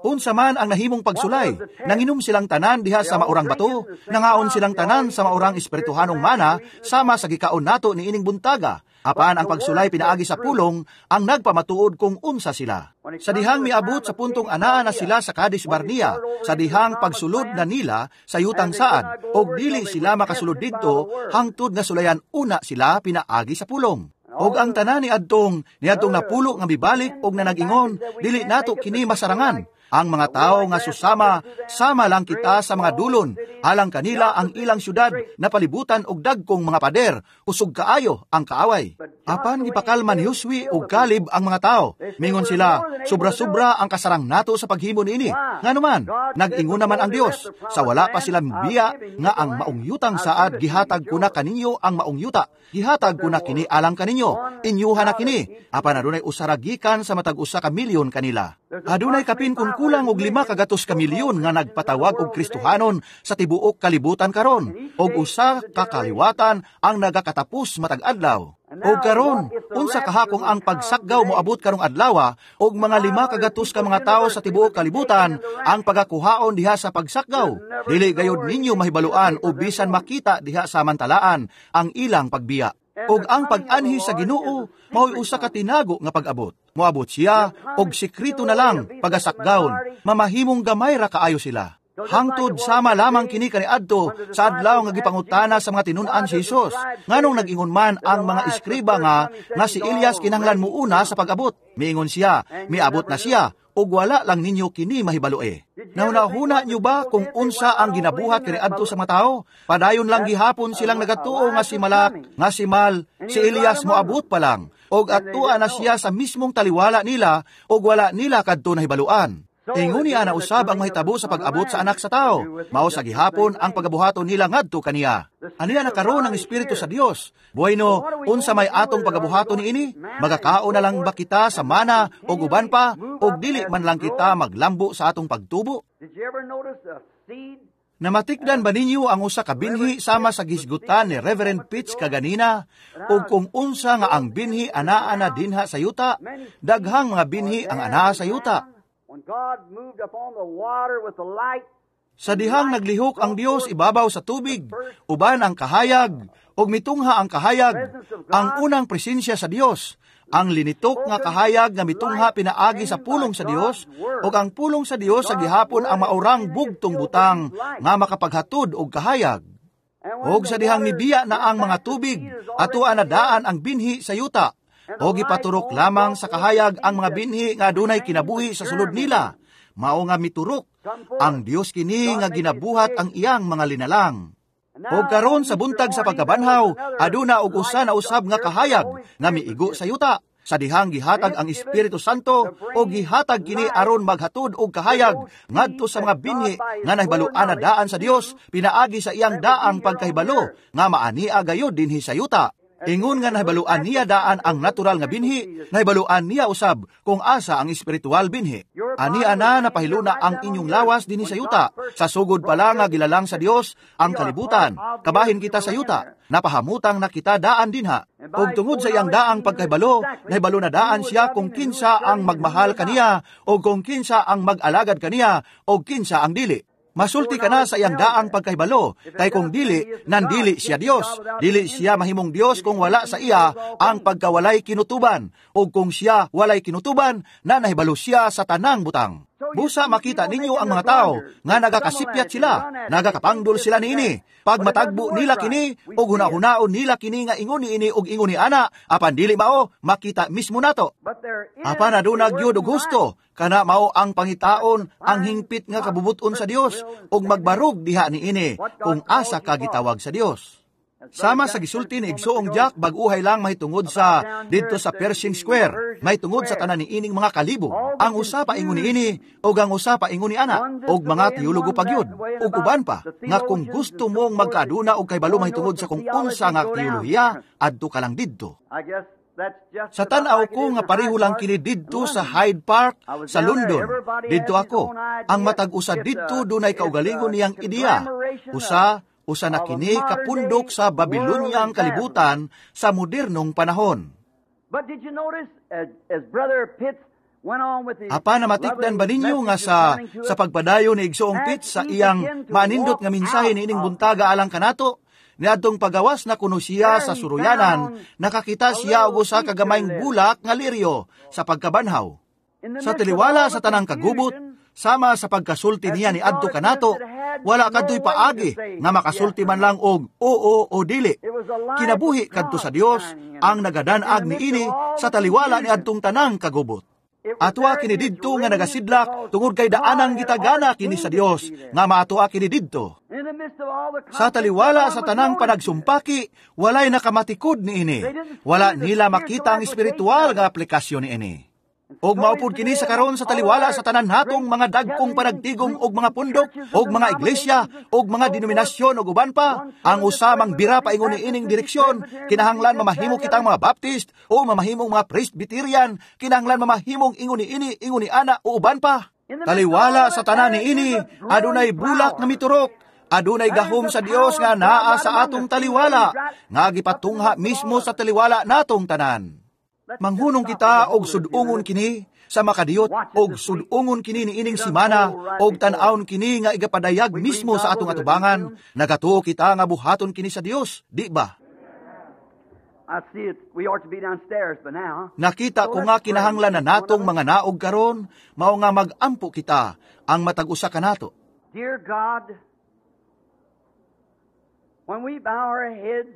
Speaker 1: Unsa man ang nahimong pagsulay, nanginom silang tanan diha sa maurang bato, nangaon silang tanan sa maurang espirituhanong mana, sama sa gikaon nato niining buntaga. Apan ang pagsulay pinaagi sa pulong ang nagpamatuod kung unsa sila. Sa dihang miabot sa puntong anaa na sila sa Kadesh Barnea, sa dihang pagsulod na nila sa yutang saad, og dili sila makasulod didto hangtod nga sulayan una sila pinaagi sa pulong. Og ang tanan ni adtong niadtong napulo nga mibalik og nanag-ingon, dili nato kini masarangan. Ang mga tao nga susama, sama lang kita sa mga dulon, alang kanila ang ilang syudad na palibutan og dagkong mga pader, usog kaayo ang kaaway. Apan gipakalma ni Josue ug Caleb ang mga tao. Mingon sila, sobra-sobra ang kasarang nato sa paghimo niini. Nganuman, nag-ingon naman ang Dios, sa wala pa sila mibiya nga ang maong yutang saad gihatag ko na kaninyo ang maong yuta. Gihatag ko na kini alang kaninyo, inyuha na kini. Apan adunay usara gikan sa matag usa ka milyon kanila. Adunay kapin kun kulang og lima kagatos ka milyon nga nagpatawag og Kristohanon sa tibuok kalibutan karon, og usa ka kaliwatan ang nagakatapos matag adlaw. Og karon, unsa kahakong ang pagsakgaw moabot karong adlaw og mga lima kagatos ka mga tawo sa tibuok kalibutan ang pagakuhaon diha sa pagsakgaw? Dili gayod ninyo mahibaluan o bisan makita diha sa mantalaan ang ilang pagbiya. Og ang pag-anhi sa Ginoo mao'y usa ka tinago nga pag-abot. Moabot siya og sekreto na lang pagasakgawon, mamahimong gamay ra kaayo sila. Hangtod sama lamang kini kaniadto sa adlaw nga gipangutana sa mga tinun-an si Hesus. Nganong nag-ingon man ang mga eskriba nga nga si Elias kinahanglan muuna sa pag-abot? Miingon siya, miabot na siya, ug wala lang ninyo kini mahibalue. Nahuna-huna niyo ba kung unsa ang ginabuhat kaniadto sa mga tao? Padayon lang gihapon silang nagatuo nga si Malak, nga si Mal, si Elias moabot pa lang, og atua na siya sa mismong taliwala nila ug wala nila kadto nahibaluan. Ingon niya na usab ang mahitabo sa pag-abot sa Anak sa Tao. Mao sa gihapon ang pagabuhaton nila ngadto kaniya. Aniya na karon ang Espiritu sa Dios. Bueno, unsa may atong pagabuhaton niini? Magakaon na lang ba kita sa mana o uban pa, o dili man lang kita maglambo sa atong pagtubo? Namatikdan ba ninyo ang usa ka binhi sama sa gisgutan ni Reverend Pitts kaganina, o kung unsa nga ang binhi anaa na dinha sa yuta? Daghang mga binhi ang anaa sa yuta. Sa dihang naglihok ang Dios ibabaw sa tubig, uban ang kahayag, ug mitungha ang kahayag, ang unang presensya sa Dios, ang linitok nga kahayag nga mitungha pinaagi sa pulong sa Dios, ug ang pulong sa Dios sa gihapon ang maurang bugtong butang nga makapaghatod og kahayag. Og sa dihang nibiya na ang mga tubig, atoa na daan ang binhi sa yuta, o gipaturok lamang sa kahayag ang mga binhi nga adunay kinabuhi sa sulod nila. Mao nga miturok ang Dios kini nga ginabuhat ang iyang mga linalang. Og karon sa buntag sa pagkabanhaw, aduna og usa na usab nga kahayag nga miigo sa yuta. Sa dihang gihatag ang Espiritu Santo o gihatag kini aron maghatod og kahayag ngadto sa mga binhi nga nahibaluan na daan sa Dios pinaagi sa iyang daang pagkahibalo nga maania gayud dinhi sa yuta. Ingon nga nahibaluan niya daan ang natural nga binhi, nahibaluan niya usab kung asa ang espiritual binhi. Ania na napahiluna ang inyong lawas dinhi sa yuta. Sa sugod pa lang nga gilalang sa Dios ang kalibutan. Kabahin kita sa yuta. Napahamutang na kita daan dinha. Ug tungod sa iyang daang pagkahibalo, nahibalo na daan siya kung kinsa ang magmahal kaniya o kung kinsa ang mag-alagad kaniya o kinsa ang dili. Masulti ka na sa iyang daang pagkahibalo, kay kung dili, nandili siya Dios. Dili siya mahimong Dios kung wala sa iya ang pagkawalay kinutuban, o kung siya walay kinutuban, na nahibalo siya sa tanang butang. Busa makita ninyo ang mga tao nga nagakasipyat sila, nagakapangdol sila niini. Pag matagbo nila kini, og hunahunaon nila kini nga ingon niini og ingon ni ana, apan dili mao, makita mismo nato. Apan aduna gyud og husto, kana mao ang pangitaon ang hingpit nga kabubuton sa Dios ug magbarog diha niini kung asa ka gitawag sa Dios. Sama sa gisulti ni Igsoong Jack, bag-uhay lang mahitungod sa didto sa Pershing Square, mahitungod sa tanan niining mga kalibo. Ang usa pa ingon niini ug ang usa pa ingon ni ana, ug mga teologo pa gyud, ug uban pa nga kung gusto mong magkaaduna og kahibalo mahitungod sa kung unsa nga teolohiya, adto ka lang didto. Sa tan-aw ko nga pareho lang kini didto sa Hyde Park sa London. Didto ako. Ang matag usa didto dunay kaugalingon niyang ideya. Usa usa na kini kapundok sa Babilonyang kalibutan sa modernong panahon. Apa namatikdan ba ninyo nga sa sa pagpadayon ni Igsoong Pitts sa iyang maanindot nga mensahe niining buntaga alang kanato? Niadtong pagawas na kuno siya sa suruyanan, nakakita siya og usa ka gamayng bulak nga liryo sa pagkabanhaw. Sa taliwala sa tanang kagubot, sama sa pagkasulti niya ni adto kanato, wala kadto'y paagi nga makasulti man lang og oo o dili. Kinabuhi kadto sa Dios ang nagadanag niini sa taliwala ni adtong tanang kagubot. Atwa kini didto nga nagasidlak tungod kay daanang gitagana kini sa Dios nga maatoa kini didto. Sa taliwala sa tanang panagsumpaki, walay nakamatikod niini. Wala nila makita ang espiritual nga aplikasyon niini. Og maupod kini sa karon sa taliwala sa tanan natong mga dagkong panagtigom og mga pundok, og mga iglesia, og mga denominasyon og uban pa, ang usamang bira paingon niining direksyon, kinahanglan mamahimo kitang mga Baptist o mamahimong mga Presbyterian, kinahanglan mamahimong ingon niini, ingon ni ana o uban pa. Taliwala sa tanan niini, adunay bulak nga miturok. Adunay gahom sa Dios nga naa sa atong taliwala, nga gipatungha mismo sa taliwala natong tanan. Manghunong kita og sudungon kini sa makadiyot, og sudungon kini niining simana, og tan-awon kini nga igapadayag mismo sa atong atubangan. Nagatuo kita nga buhaton kini sa Dios, di ba?
Speaker 2: I see it. We ought to be downstairs by now.
Speaker 1: Nakita ko nga kinahanglan na natong mga naog karon, mao nga mag-ampo kita ang matag usa kanato.
Speaker 2: Dear God, when we bow our heads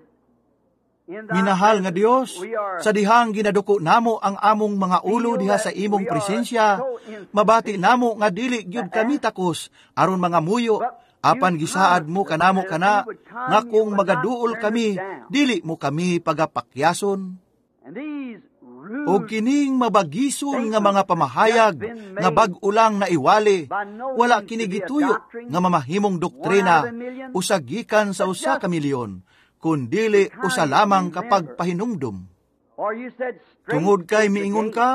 Speaker 2: in thy
Speaker 1: Minahal nga Dios,
Speaker 2: we are
Speaker 1: sa dihang ginaduko namo ang among mga ulo diha sa imong presensya, mabati namo nga dili gyud kami takos aron mga muyo, apan gisaad mo kanamo kana nga kung magaduol kami, dili mo kami pagapakyason.
Speaker 2: And these rude
Speaker 1: Og kining mabagison nga mga pamahayag nga bag-o lang naiwali, wala kini gituyo nga mamahimong doktrina usa gikan sa usa ka milyon, kundili usa lamang kapag pahinumdum.
Speaker 2: Or you said strait
Speaker 1: Tungod kay
Speaker 2: is the
Speaker 1: miingon
Speaker 2: gate,
Speaker 1: ka,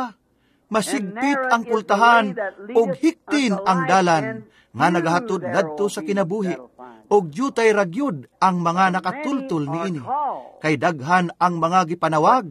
Speaker 1: masigpit ang pultahan ug hiktin ang dalan nga nagahatod ngadto sa kinabuhi, ug dyutay ra gyud ang mga nakatultol niini. Kay daghan ang mga gipanawag,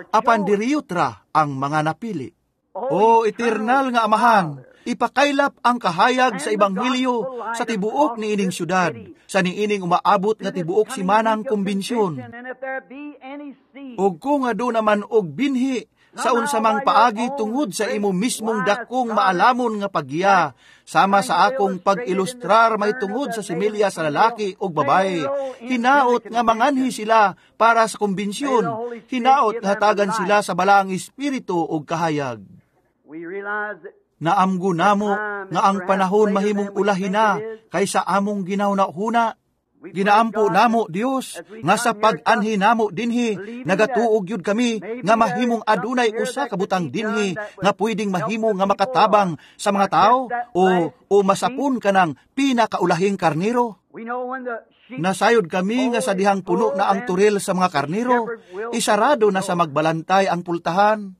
Speaker 1: apan diriyot ra ang mga napili. O eternal nga Amahan, ipakaylap ang kahayag sa ebanghelyo sa tibuok niining syudad, sa niining umaabot nga tibuok simanang kumbensyon.
Speaker 2: And if there be any seed,
Speaker 1: Ug kung aduna man og binhi sa unsa mang paagi tungod sa imo mismong dakong maalamon nga paggiya, sama sa akong pag-ilustrar mahitungod sa similya sa lalaki ug babae, hinaot nga manganhi sila para sa kumbensyon, hinaot nga hatagan sila sa balaang espiritu ug kahayag.
Speaker 2: we realize that
Speaker 1: Naamgo namo nga ang panahon mahimong ulahi na kaysa among ginahuna-huna. Ginaampo namo Dios nga sa pag-anhi namo dinhi nagatuo gyud kami nga mahimong adunay usa ka butang dinhi nga pwedeng mahimo nga makatabang sa mga tao o o masapon kanang pinakaulahing karniro.
Speaker 2: we know when the sheep
Speaker 1: Nasayod kami nga sa dihang puno na ang turil sa mga karniro, isarado na sa magbalantay ang pultahan.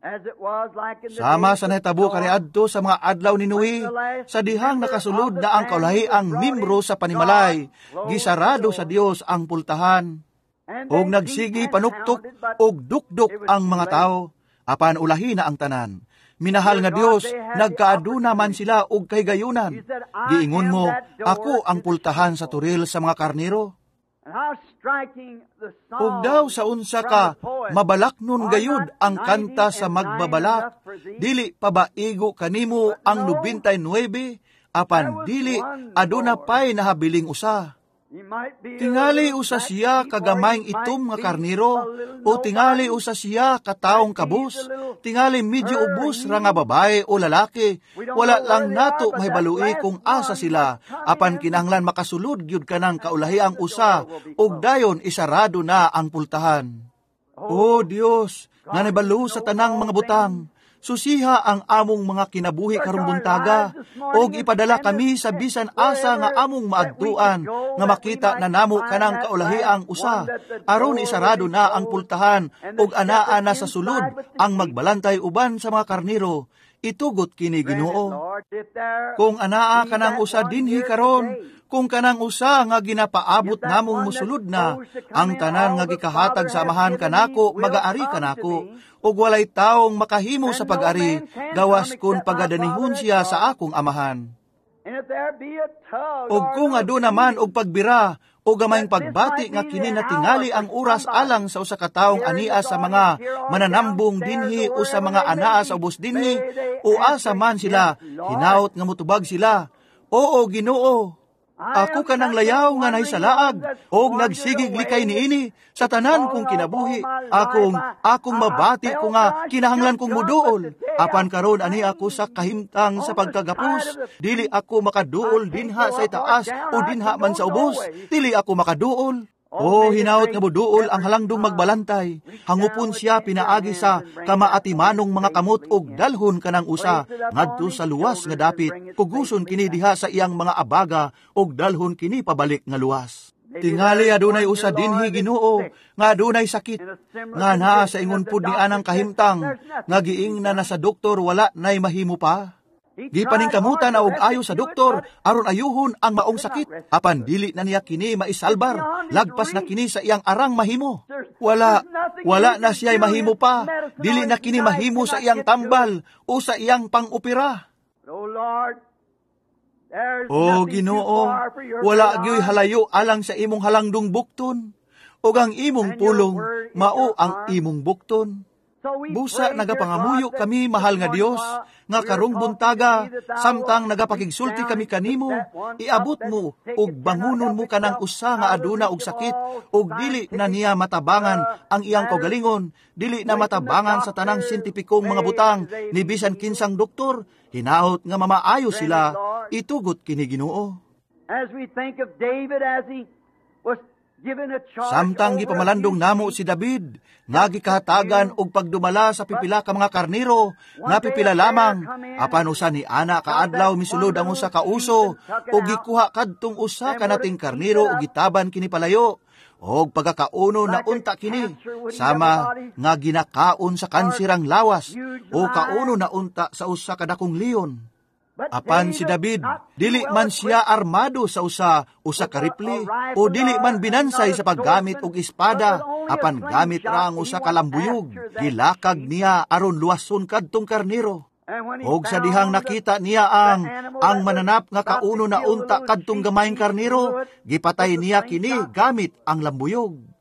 Speaker 2: as it was like in the
Speaker 1: Sama
Speaker 2: days
Speaker 1: sa
Speaker 2: of
Speaker 1: nahitabo
Speaker 2: Noah,
Speaker 1: kaniadto sa mga adlaw ni Noe, sa dihang nakasulod na ang kaulahiang membro sa panimalay, gisarado sa Dios ang pultahan.
Speaker 2: and
Speaker 1: Og
Speaker 2: they
Speaker 1: nagsigi
Speaker 2: beat and
Speaker 1: panuktok
Speaker 2: hounded, but
Speaker 1: og dukdok ang mga tao, apan ulahi na ang tanan. Minahal nga Dios, nagkaaduna man sila og kahigayunan. Giingon mo, ako ang pultahan sa turil sa mga karniro.
Speaker 2: And how striking the song
Speaker 1: Ug daw sa unsa ka mabalaknon gayud ang kanta sa magbabalak, dili pa ba igo kanimo ang nobentay nuwebe, apan dili aduna pay nahabiling usa.
Speaker 2: He might be a
Speaker 1: Tingali
Speaker 2: little
Speaker 1: usa
Speaker 2: black
Speaker 1: siya
Speaker 2: sheep, or
Speaker 1: kagamayng
Speaker 2: he might
Speaker 1: itom nga
Speaker 2: be
Speaker 1: karniro,
Speaker 2: a little
Speaker 1: o tingali
Speaker 2: nobody.
Speaker 1: usa siya kataong kabus, tingali medyo ubos ra nga babae o lalaki, wala lang nato mahibalui kung asa sila, apan kinahanglan makasulod gyud kanang kaulahiang usa, ug dayon isarado na ang pultahan. O Dios, nga nabalo sa tanang mga butang, susiha ang among mga kinabuhi karong buntaga, og ipadala kami sa bisan asa nga among maadtuan, nga makita na namo kanang kaulahiang usa, aron isarado na ang pultahan, og anaa na sa sulod ang magbalantay uban sa mga karniro. Itugot kini Ginoo.
Speaker 2: Lord, if there
Speaker 1: Kung anaa kanang usa dinhi karon, kung kanang usa nga ginapaabot namong mosulod na, ang tanan nga gikahatag sa amahan kanako, magaari kanako, ug walay taong makahimo sa pag-ari, gawas kun pagadanihon siya sa akong amahan.
Speaker 2: and if there be a tug
Speaker 1: Ug
Speaker 2: or
Speaker 1: kung
Speaker 2: a
Speaker 1: aduna man og pagbira, o gamayng pagbati nga kini na tingali ang oras alang sa usa ka taong ania sa mga mananambong dinhi o sa mga anaa sa ubos dinhi, o asa man sila, hinaot nga mutubag sila. Oo, Ginoo, ako kanang layaw nga nahisalaag og nagsigig likay niini sa tanan kong kinabuhi. Akong akong mabati ko nga kinahanglan kong muduol. Apan karon ani ako sa kahimtang sa pagkagapos, dili ako makaduol dinha sa itaas o dinha man sa ubos. Dili ako makaduol. O hinaot nga muduol ang halangdong magbalantay. Hangupon siya pinaagi sa kamaatimanong mga kamot og dalhon kanang usa ngadto sa luwas nga dapit. Kuguson kini diha sa iyang mga abaga og dalhon kini pabalik nga luwas. Tingali adunay usa dinhi Ginoo nga adunay sakit nga naa sa ingon pud ni anang kahimtang nga giingna na sa doktor wala nay mahimo pa. Gipaningkamutan na og ayo sa doktor aron ayuhon ang maong sakit, apan dili na niya kini maisalbar, lagpas na kini sa iyang arang mahimo. Wala, wala na siya'y mahimo pa, dili na kini mahimo sa iyang tambal o sa iyang pang-opera. O Ginoo, wala gyoy halayo alang sa imong halangdong bukton, ug ang imong pulong mao ang imong bukton. Busa nagapangamuyo kami, mahal nga Dios, nga karong buntaga, samtang nagapakigsulti kami kanimo, iabot mo ug bangunon mo kanang usa nga aduna og sakit ug dili na niya matabangan ang iyang kaugalingon, dili na matabangan sa tanang siyentipikong mga butang ni bisan kinsang doktor, hinaot nga mamaayo sila, itugot kini, Ginoo.
Speaker 2: As we think of David as he was given a charge
Speaker 1: Samtang
Speaker 2: over a
Speaker 1: gipamalandong
Speaker 2: few
Speaker 1: namo si David, nga gikahatagan og pagdumala sa pipila ka mga karnero, nga pipila lamang, apan usa ni ana kaadlaw misulod ang usa ka uso, ug gikuha kadtong usa ka nating karnero ug gitaban kini palayo, og pagakauno na unta kini, sama nga ginakaon sa kanser ang lawas, o kauno na unta sa usa ka dakong leon.
Speaker 2: But
Speaker 1: Apan si David, dili man siya armado sa usa usa ka rifle o dili man binansay sa paggamit og espada, apan gamit ra ang usa ka lambuyog, gilakag niya aron luwason kadtong karnero. Og sa dihang nakita niya ang ang mananap nga kauno na unta kadtong gamayng karnero, gipatay niya kini gamit ang lambuyog.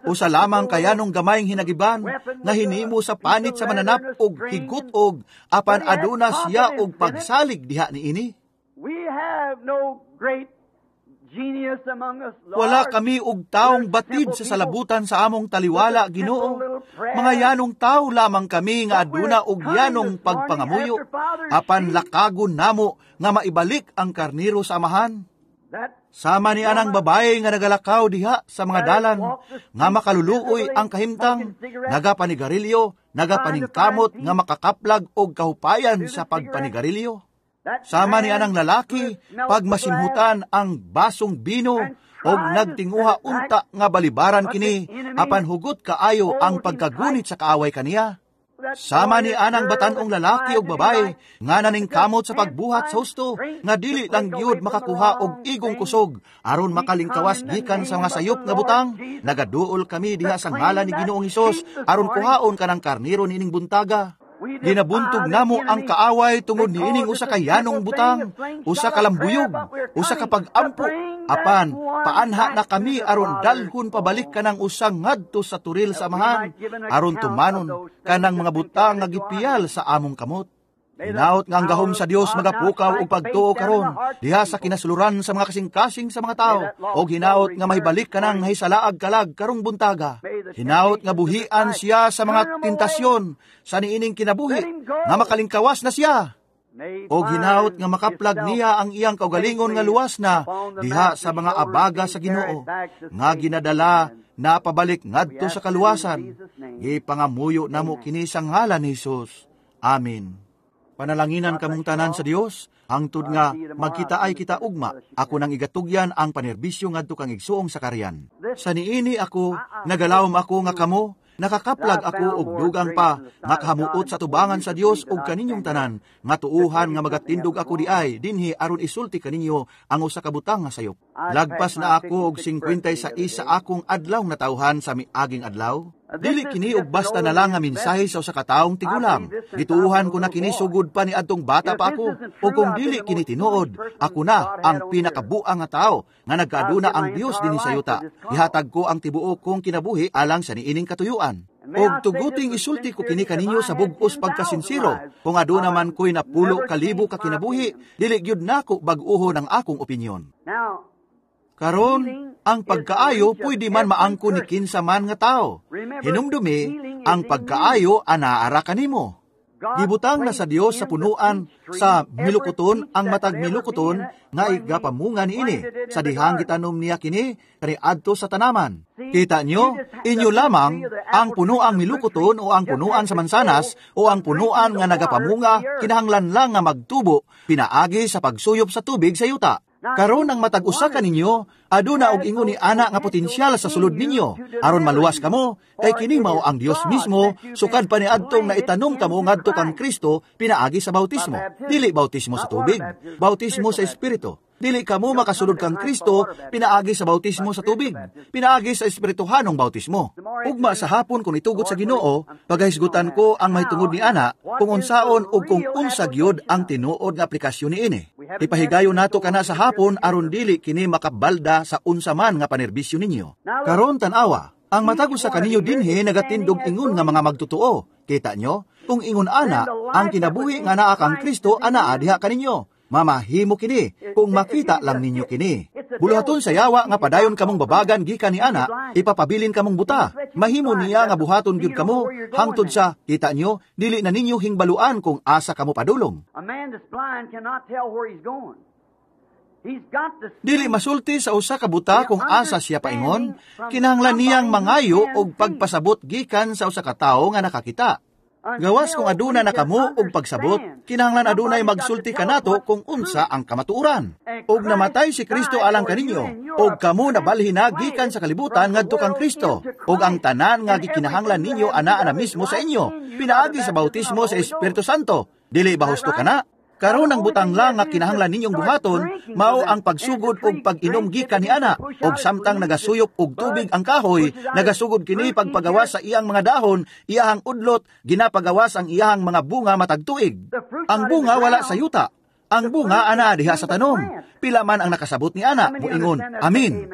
Speaker 1: Usa lamang kayanong gamayng hinagiban nga hinimo sa panit sa mananap og higut-og, apan aduna siya og pagsalig diha niini.
Speaker 2: We have no great genius among us, Lord.
Speaker 1: Wala kami og taong batid sa salabutan sa among taliwala, Ginoo. Mga yanong tao lamang kami nga aduna og yanong pagpangamuyo, apan lakagon namo nga maibalik ang karnero sa amahan.
Speaker 2: That
Speaker 1: Sama ni anang babae nga nagalakaw diha sa mga dalan, nga makaluluoy ang kahimtang, nagapanigarilyo, nagapaningkamot nga makakaplag og kahupayan sa pagpanigarilyo.
Speaker 2: that
Speaker 1: Sama ni
Speaker 2: man
Speaker 1: anang lalaki, pag masimhutan ang basong bino, og nagtinguha unta nga balibaran kini, apan hugot kaayo ang pagkagunit sa kaaway kaniya.
Speaker 2: that
Speaker 1: Sama ni anang batanong lalaki ug babae nga naningkamot sa pagbuhat sa husto nga dili lang gyud makakuha og igong kusog aron makalingkawas gikan sa mga sayop nga butang. Nagaduol kami diha sa ngalan ni Ginoong Hesus aron kuhaon kanang karnero niining buntaga. Ginabuntog namo ang kaaway tungod niining usa ka yanong butang, usa ka lambuyog, usa ka pag-ampo, apan paanha na kami aron dalhon pabalik kanang usang ngadto sa turil sa amahan, aron tumanon kanang mga butang nga gipiyal sa among kamot. Hinaot nga ang gahom sa Dios magapukaw og pagtuo karon diha sa kinasuluran sa mga kasing-kasing sa mga tao, og hinaot nga mahibalik kanang nahisalaag kalag karong buntaga. Hinaot nga buhian siya sa mga tentasyon sa niining kinabuhi nga makalingkawas na siya. Og hinaot nga makaplag niya ang iyang kaugalingon nga luwas na diha sa mga abaga sa Ginoo nga ginadala na pabalik ngadto sa kaluwasan. Gipangamuyo namo kini sa ngalan ni Hesus. Amen. Panalanginan kamong tanan sa Dios, hangtod nga magkita ay kita ugma. Ako nang igatugyan ang panerbisyo ngadto kang igsuong Sakarian. Sa niini ako, nagalawom ako nga kamo, nakakaplag ako og dugang pa, nga kahamuot sa tubangan sa Dios og kaninyong tanan, nga tuuhan nga magatindog ako diay dinhi aron isulti kaninyo ang usa ka butang nga sayop. Lagpas na ako og singkwentay sais sa akong adlaw natawhan sa miaging adlaw. Dili kini og basta na lang nga mensahe sa usa ka taong tigulang. Gituohan ko na kini sugod pa ni adtong bata pa ako. O kung dili kini tinuod, ako na ang pinakabuang nga tawo nga nagkaaduna ang Dios dinhi sa yuta. Gihatag ko ang tibuok kong kinabuhi alang sa niining katuyuan. Og tuguting isulti ko kini kaninyo sa bug-os pagkasinsiro. Kung aduna man ko'y napulo kalibo ka kinabuhi, dili gyud nako bag-uho ng akong opinyon.
Speaker 2: Now,
Speaker 1: Karon, ang pagkaayo pwede man maangko ni kinsa man nga tao. Hinumdumi, ang pagkaayo anaara kanimo. Gibutang na sa Dios sa punuan sa milukuton ang matag milukuton nga igapamunga niini. Sa dihang gitanom niya kini kaniadto sa tanaman. Kita nyo, inyo lamang ang punuang milukuton o ang punuan sa mansanas o ang punuan nga nagapamunga kinahanglan lang nga magtubo pinaagi sa pagsuyop sa tubig sa yuta. Karon ang matag usa kaninyo aduna og ingon ni ana nga potensyal sa sulod ninyo aron maluwas kamo, kay kini mao ang Dios mismo sukad pa niadtong naitanom kamo ngadto kang Kristo pinaagi sa bautismo. Dili bautismo sa tubig, bautismo sa Espiritu. Dili kamo makasulod kang Kristo pinaagi sa bautismo sa tubig, pinaagi sa espirituhanong bautismo. Ugma sa hapon kung itugot sa Ginoo, pagahisgutan ko ang mahitungod ni ana kung unsaon ug kung unsa gyud ang tinuod nga aplikasyon niini. Ipahigayon nato kana sa hapon aron dili kini makabalda sa unsa man nga panerbisyo ninyo. Karon tan-awa, ang matag usa kaninyo dinhi nagatindog ingon nga mga magtotoo. Kita nyo? Kung ingon ana, ang kinabuhi nga naa kang Kristo anaa diha kaninyo. Mamahimo kini kung makita lang ninyo kini. Buluhaton sa yawa nga padayon kamong babagan gikan ni ana, ipapabilin kamong buta. Mahimo niya nga buhaton gyud kamo hangtod sa kita nyo, dili na ninyo hingbaluan kung asa kamo padulong.
Speaker 2: A man that's blind cannot tell where he's going. He's got to
Speaker 1: Dili masulti sa usa ka buta kung asa siya paingon, kinahanglan niyang mangayo og pagpasabot gikan sa usa ka tawo nga nakakita. Gawas kung aduna na kamo og pagsabot, kinahanglan adunay magsulti kanato kung unsa ang kamatuoran. Og namatay si Kristo alang kaninyo, og kamo nabalhin na gikan sa kalibutan ngadto kang Kristo, og ang tanan nga gikinahanglan ninyo anaa na mismo sa inyo, pinaagi sa bautismo sa Espiritu Santo. Dili ba husto kana? Karon ang butang lang nga kinahanglan ninyong buhaton mao ang pagsugod og pag-inom gikan ni ana, og samtang nagasuyop og tubig ang kahoy, nagasugod kini pagpagawas sa iyang mga dahon, iyahang udlot, ginapagawas ang iyahang mga bunga matag tuig. Ang bunga wala sa yuta. Ang bunga ana diha sa tanom. Pila man ang nakasabot ni ana, moingon, "Amin."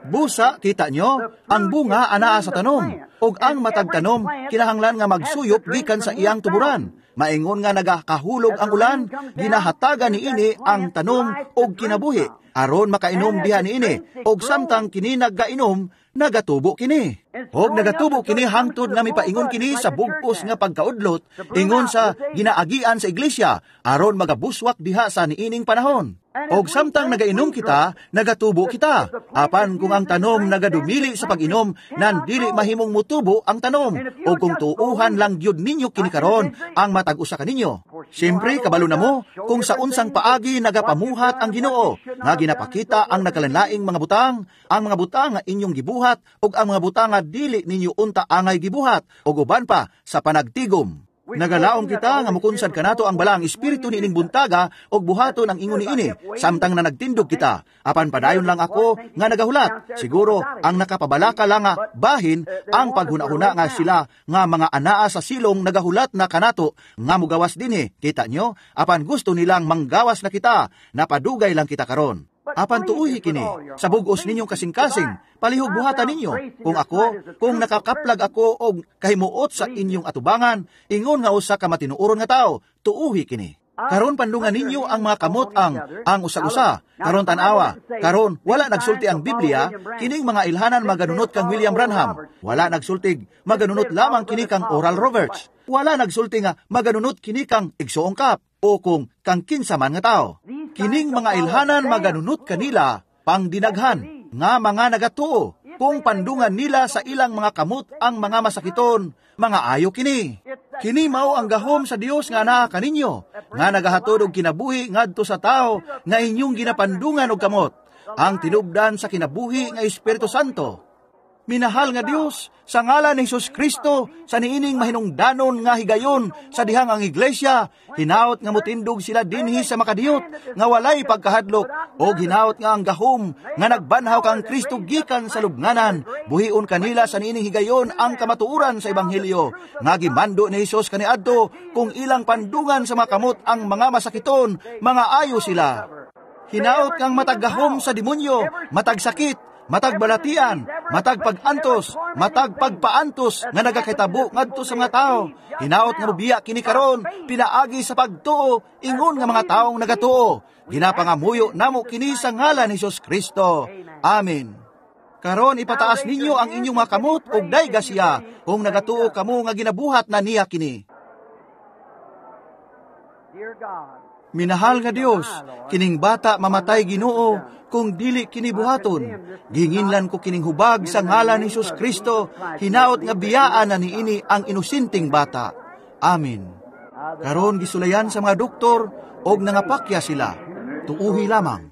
Speaker 1: Busa, kita nyo, ang bunga anaa sa tanom, ug ang matag tanom kinahanglan nga magsuyop gikan sa iyang tuburan. Maingon nga nagakahulog ang ulan, ginahatagan niini ang tanom og kinabuhi. Aron makainom diha niini, og samtang kini nagainom, nagatubo kini. Og nagatubo kini hangtod nga mipaingon kini sa bugpos nga pagkaudlot, ingon sa ginaagian sa iglesia, aron magabuswak diha sa niining panahon. Og samtang nagainom kita, nagatubo kita. Apan kung ang tanom nagadumili sa pag-inom, nan dili mahimong mutubo ang tanom. O kung tuuhan lang gyud ninyo kini karon ang matag usa kaninyo. Siyempre, kabalo na mo kung sa unsang paagi nagapamuhat ang Ginoo, nga ginapakita ang nagkalanlaing mga butang, ang mga butang nga inyong gibuhat, ug ang mga butang nga dili ninyo unta angay gibuhat, ug uban pa sa panagtigom. Nagalaom kita nga mukunsad kanato ang Balaang Espiritu niining buntaga og buhaton ang ingon niini samtang na nagtindog kita. Apan padayon lang ako nga nagahulat. Siguro ang nakapabalaka lang nga bahin ang paghuna-huna nga sila nga mga anaa sa silong nagahulat na kanato nga mugawas dinhi. Kita nyo? Apan gusto nilang manggawas na kita, napadugay lang kita karon. Apan tuuhi kini, sa bugos ninyong kasing-kasing, palihog buhatan ninyo. Kung ako, kung nakakaplag ako og kahimuot sa inyong atubangan, ingon nga usa ka matinuoron nga tao, tuuhi kini. Karon pandungan ninyo ang mga kamot ang ang usag-usa. Karon tan-awa. Karon wala nagsulti ang Biblia kining mga ilhanan maganunot kang William Branham. Wala nagsultig maganunot lamang kini kang Oral Roberts. Wala nagsulti nga maganunot kini kang Igsoong Kap o kung kang kinsa man nga tao. Kining mga ilhanan maganunot kanila pangdinaghan nga mga nagatuo kung pandungan nila sa ilang mga kamot ang mga masakiton, mga ayo kini. Kini mao ang gahom sa Dios nga naa kaninyo, nga nagahatod og kinabuhi ngadto sa tao nga inyong ginapandungan og kamot, ang tinubdan sa kinabuhi nga Espiritu Santo. Minahal nga Dios, sa ngalan ni Hesus Kristo, sa niining mahinungdanon nga higayon sa dihang ang iglesia, hinaot nga motindog sila dinhi sa makadiyot, nga walay pagkahadlok, o hinaot nga ang gahom nga nagbanhaw kang Kristo gikan sa lubnganan, buhion kanila sa niining higayon ang kamatuoran sa Ebanghelyo, nga gimando ni Hesus kaniadto kung ilang pandungan sa makamot ang mga masakiton, mga ayo sila. Hinaot kang matag gahom sa demonyo, matag sakit, matag balatian, matag pag-antos, matag pagpaantos nga nagakitabo ngadto sa mga tao. Hinaot nga mobiya kini karon, pinaagi sa pagtuo, ingon nga mga taong nagatuo. Ginapangamuyo namo kini sa ngalan ni Hesus Kristo. Amen. Karon ipataas ninyo ang inyong mga kamot ug dayga siya kung nagatuo kamo nga ginabuhat na niya kini.
Speaker 2: Dear God,
Speaker 1: Minahal nga Dios, kining bata mamatay Ginoo kung dili kini buhaton. Gihinginlan ko kining hubag sa ngalan ni Hesus Kristo, hinaot nga biyaan na niini ang inosenteng bata. Amen. Karon gisulayan sa mga doktor og nangapakya sila. Tuuhi lamang.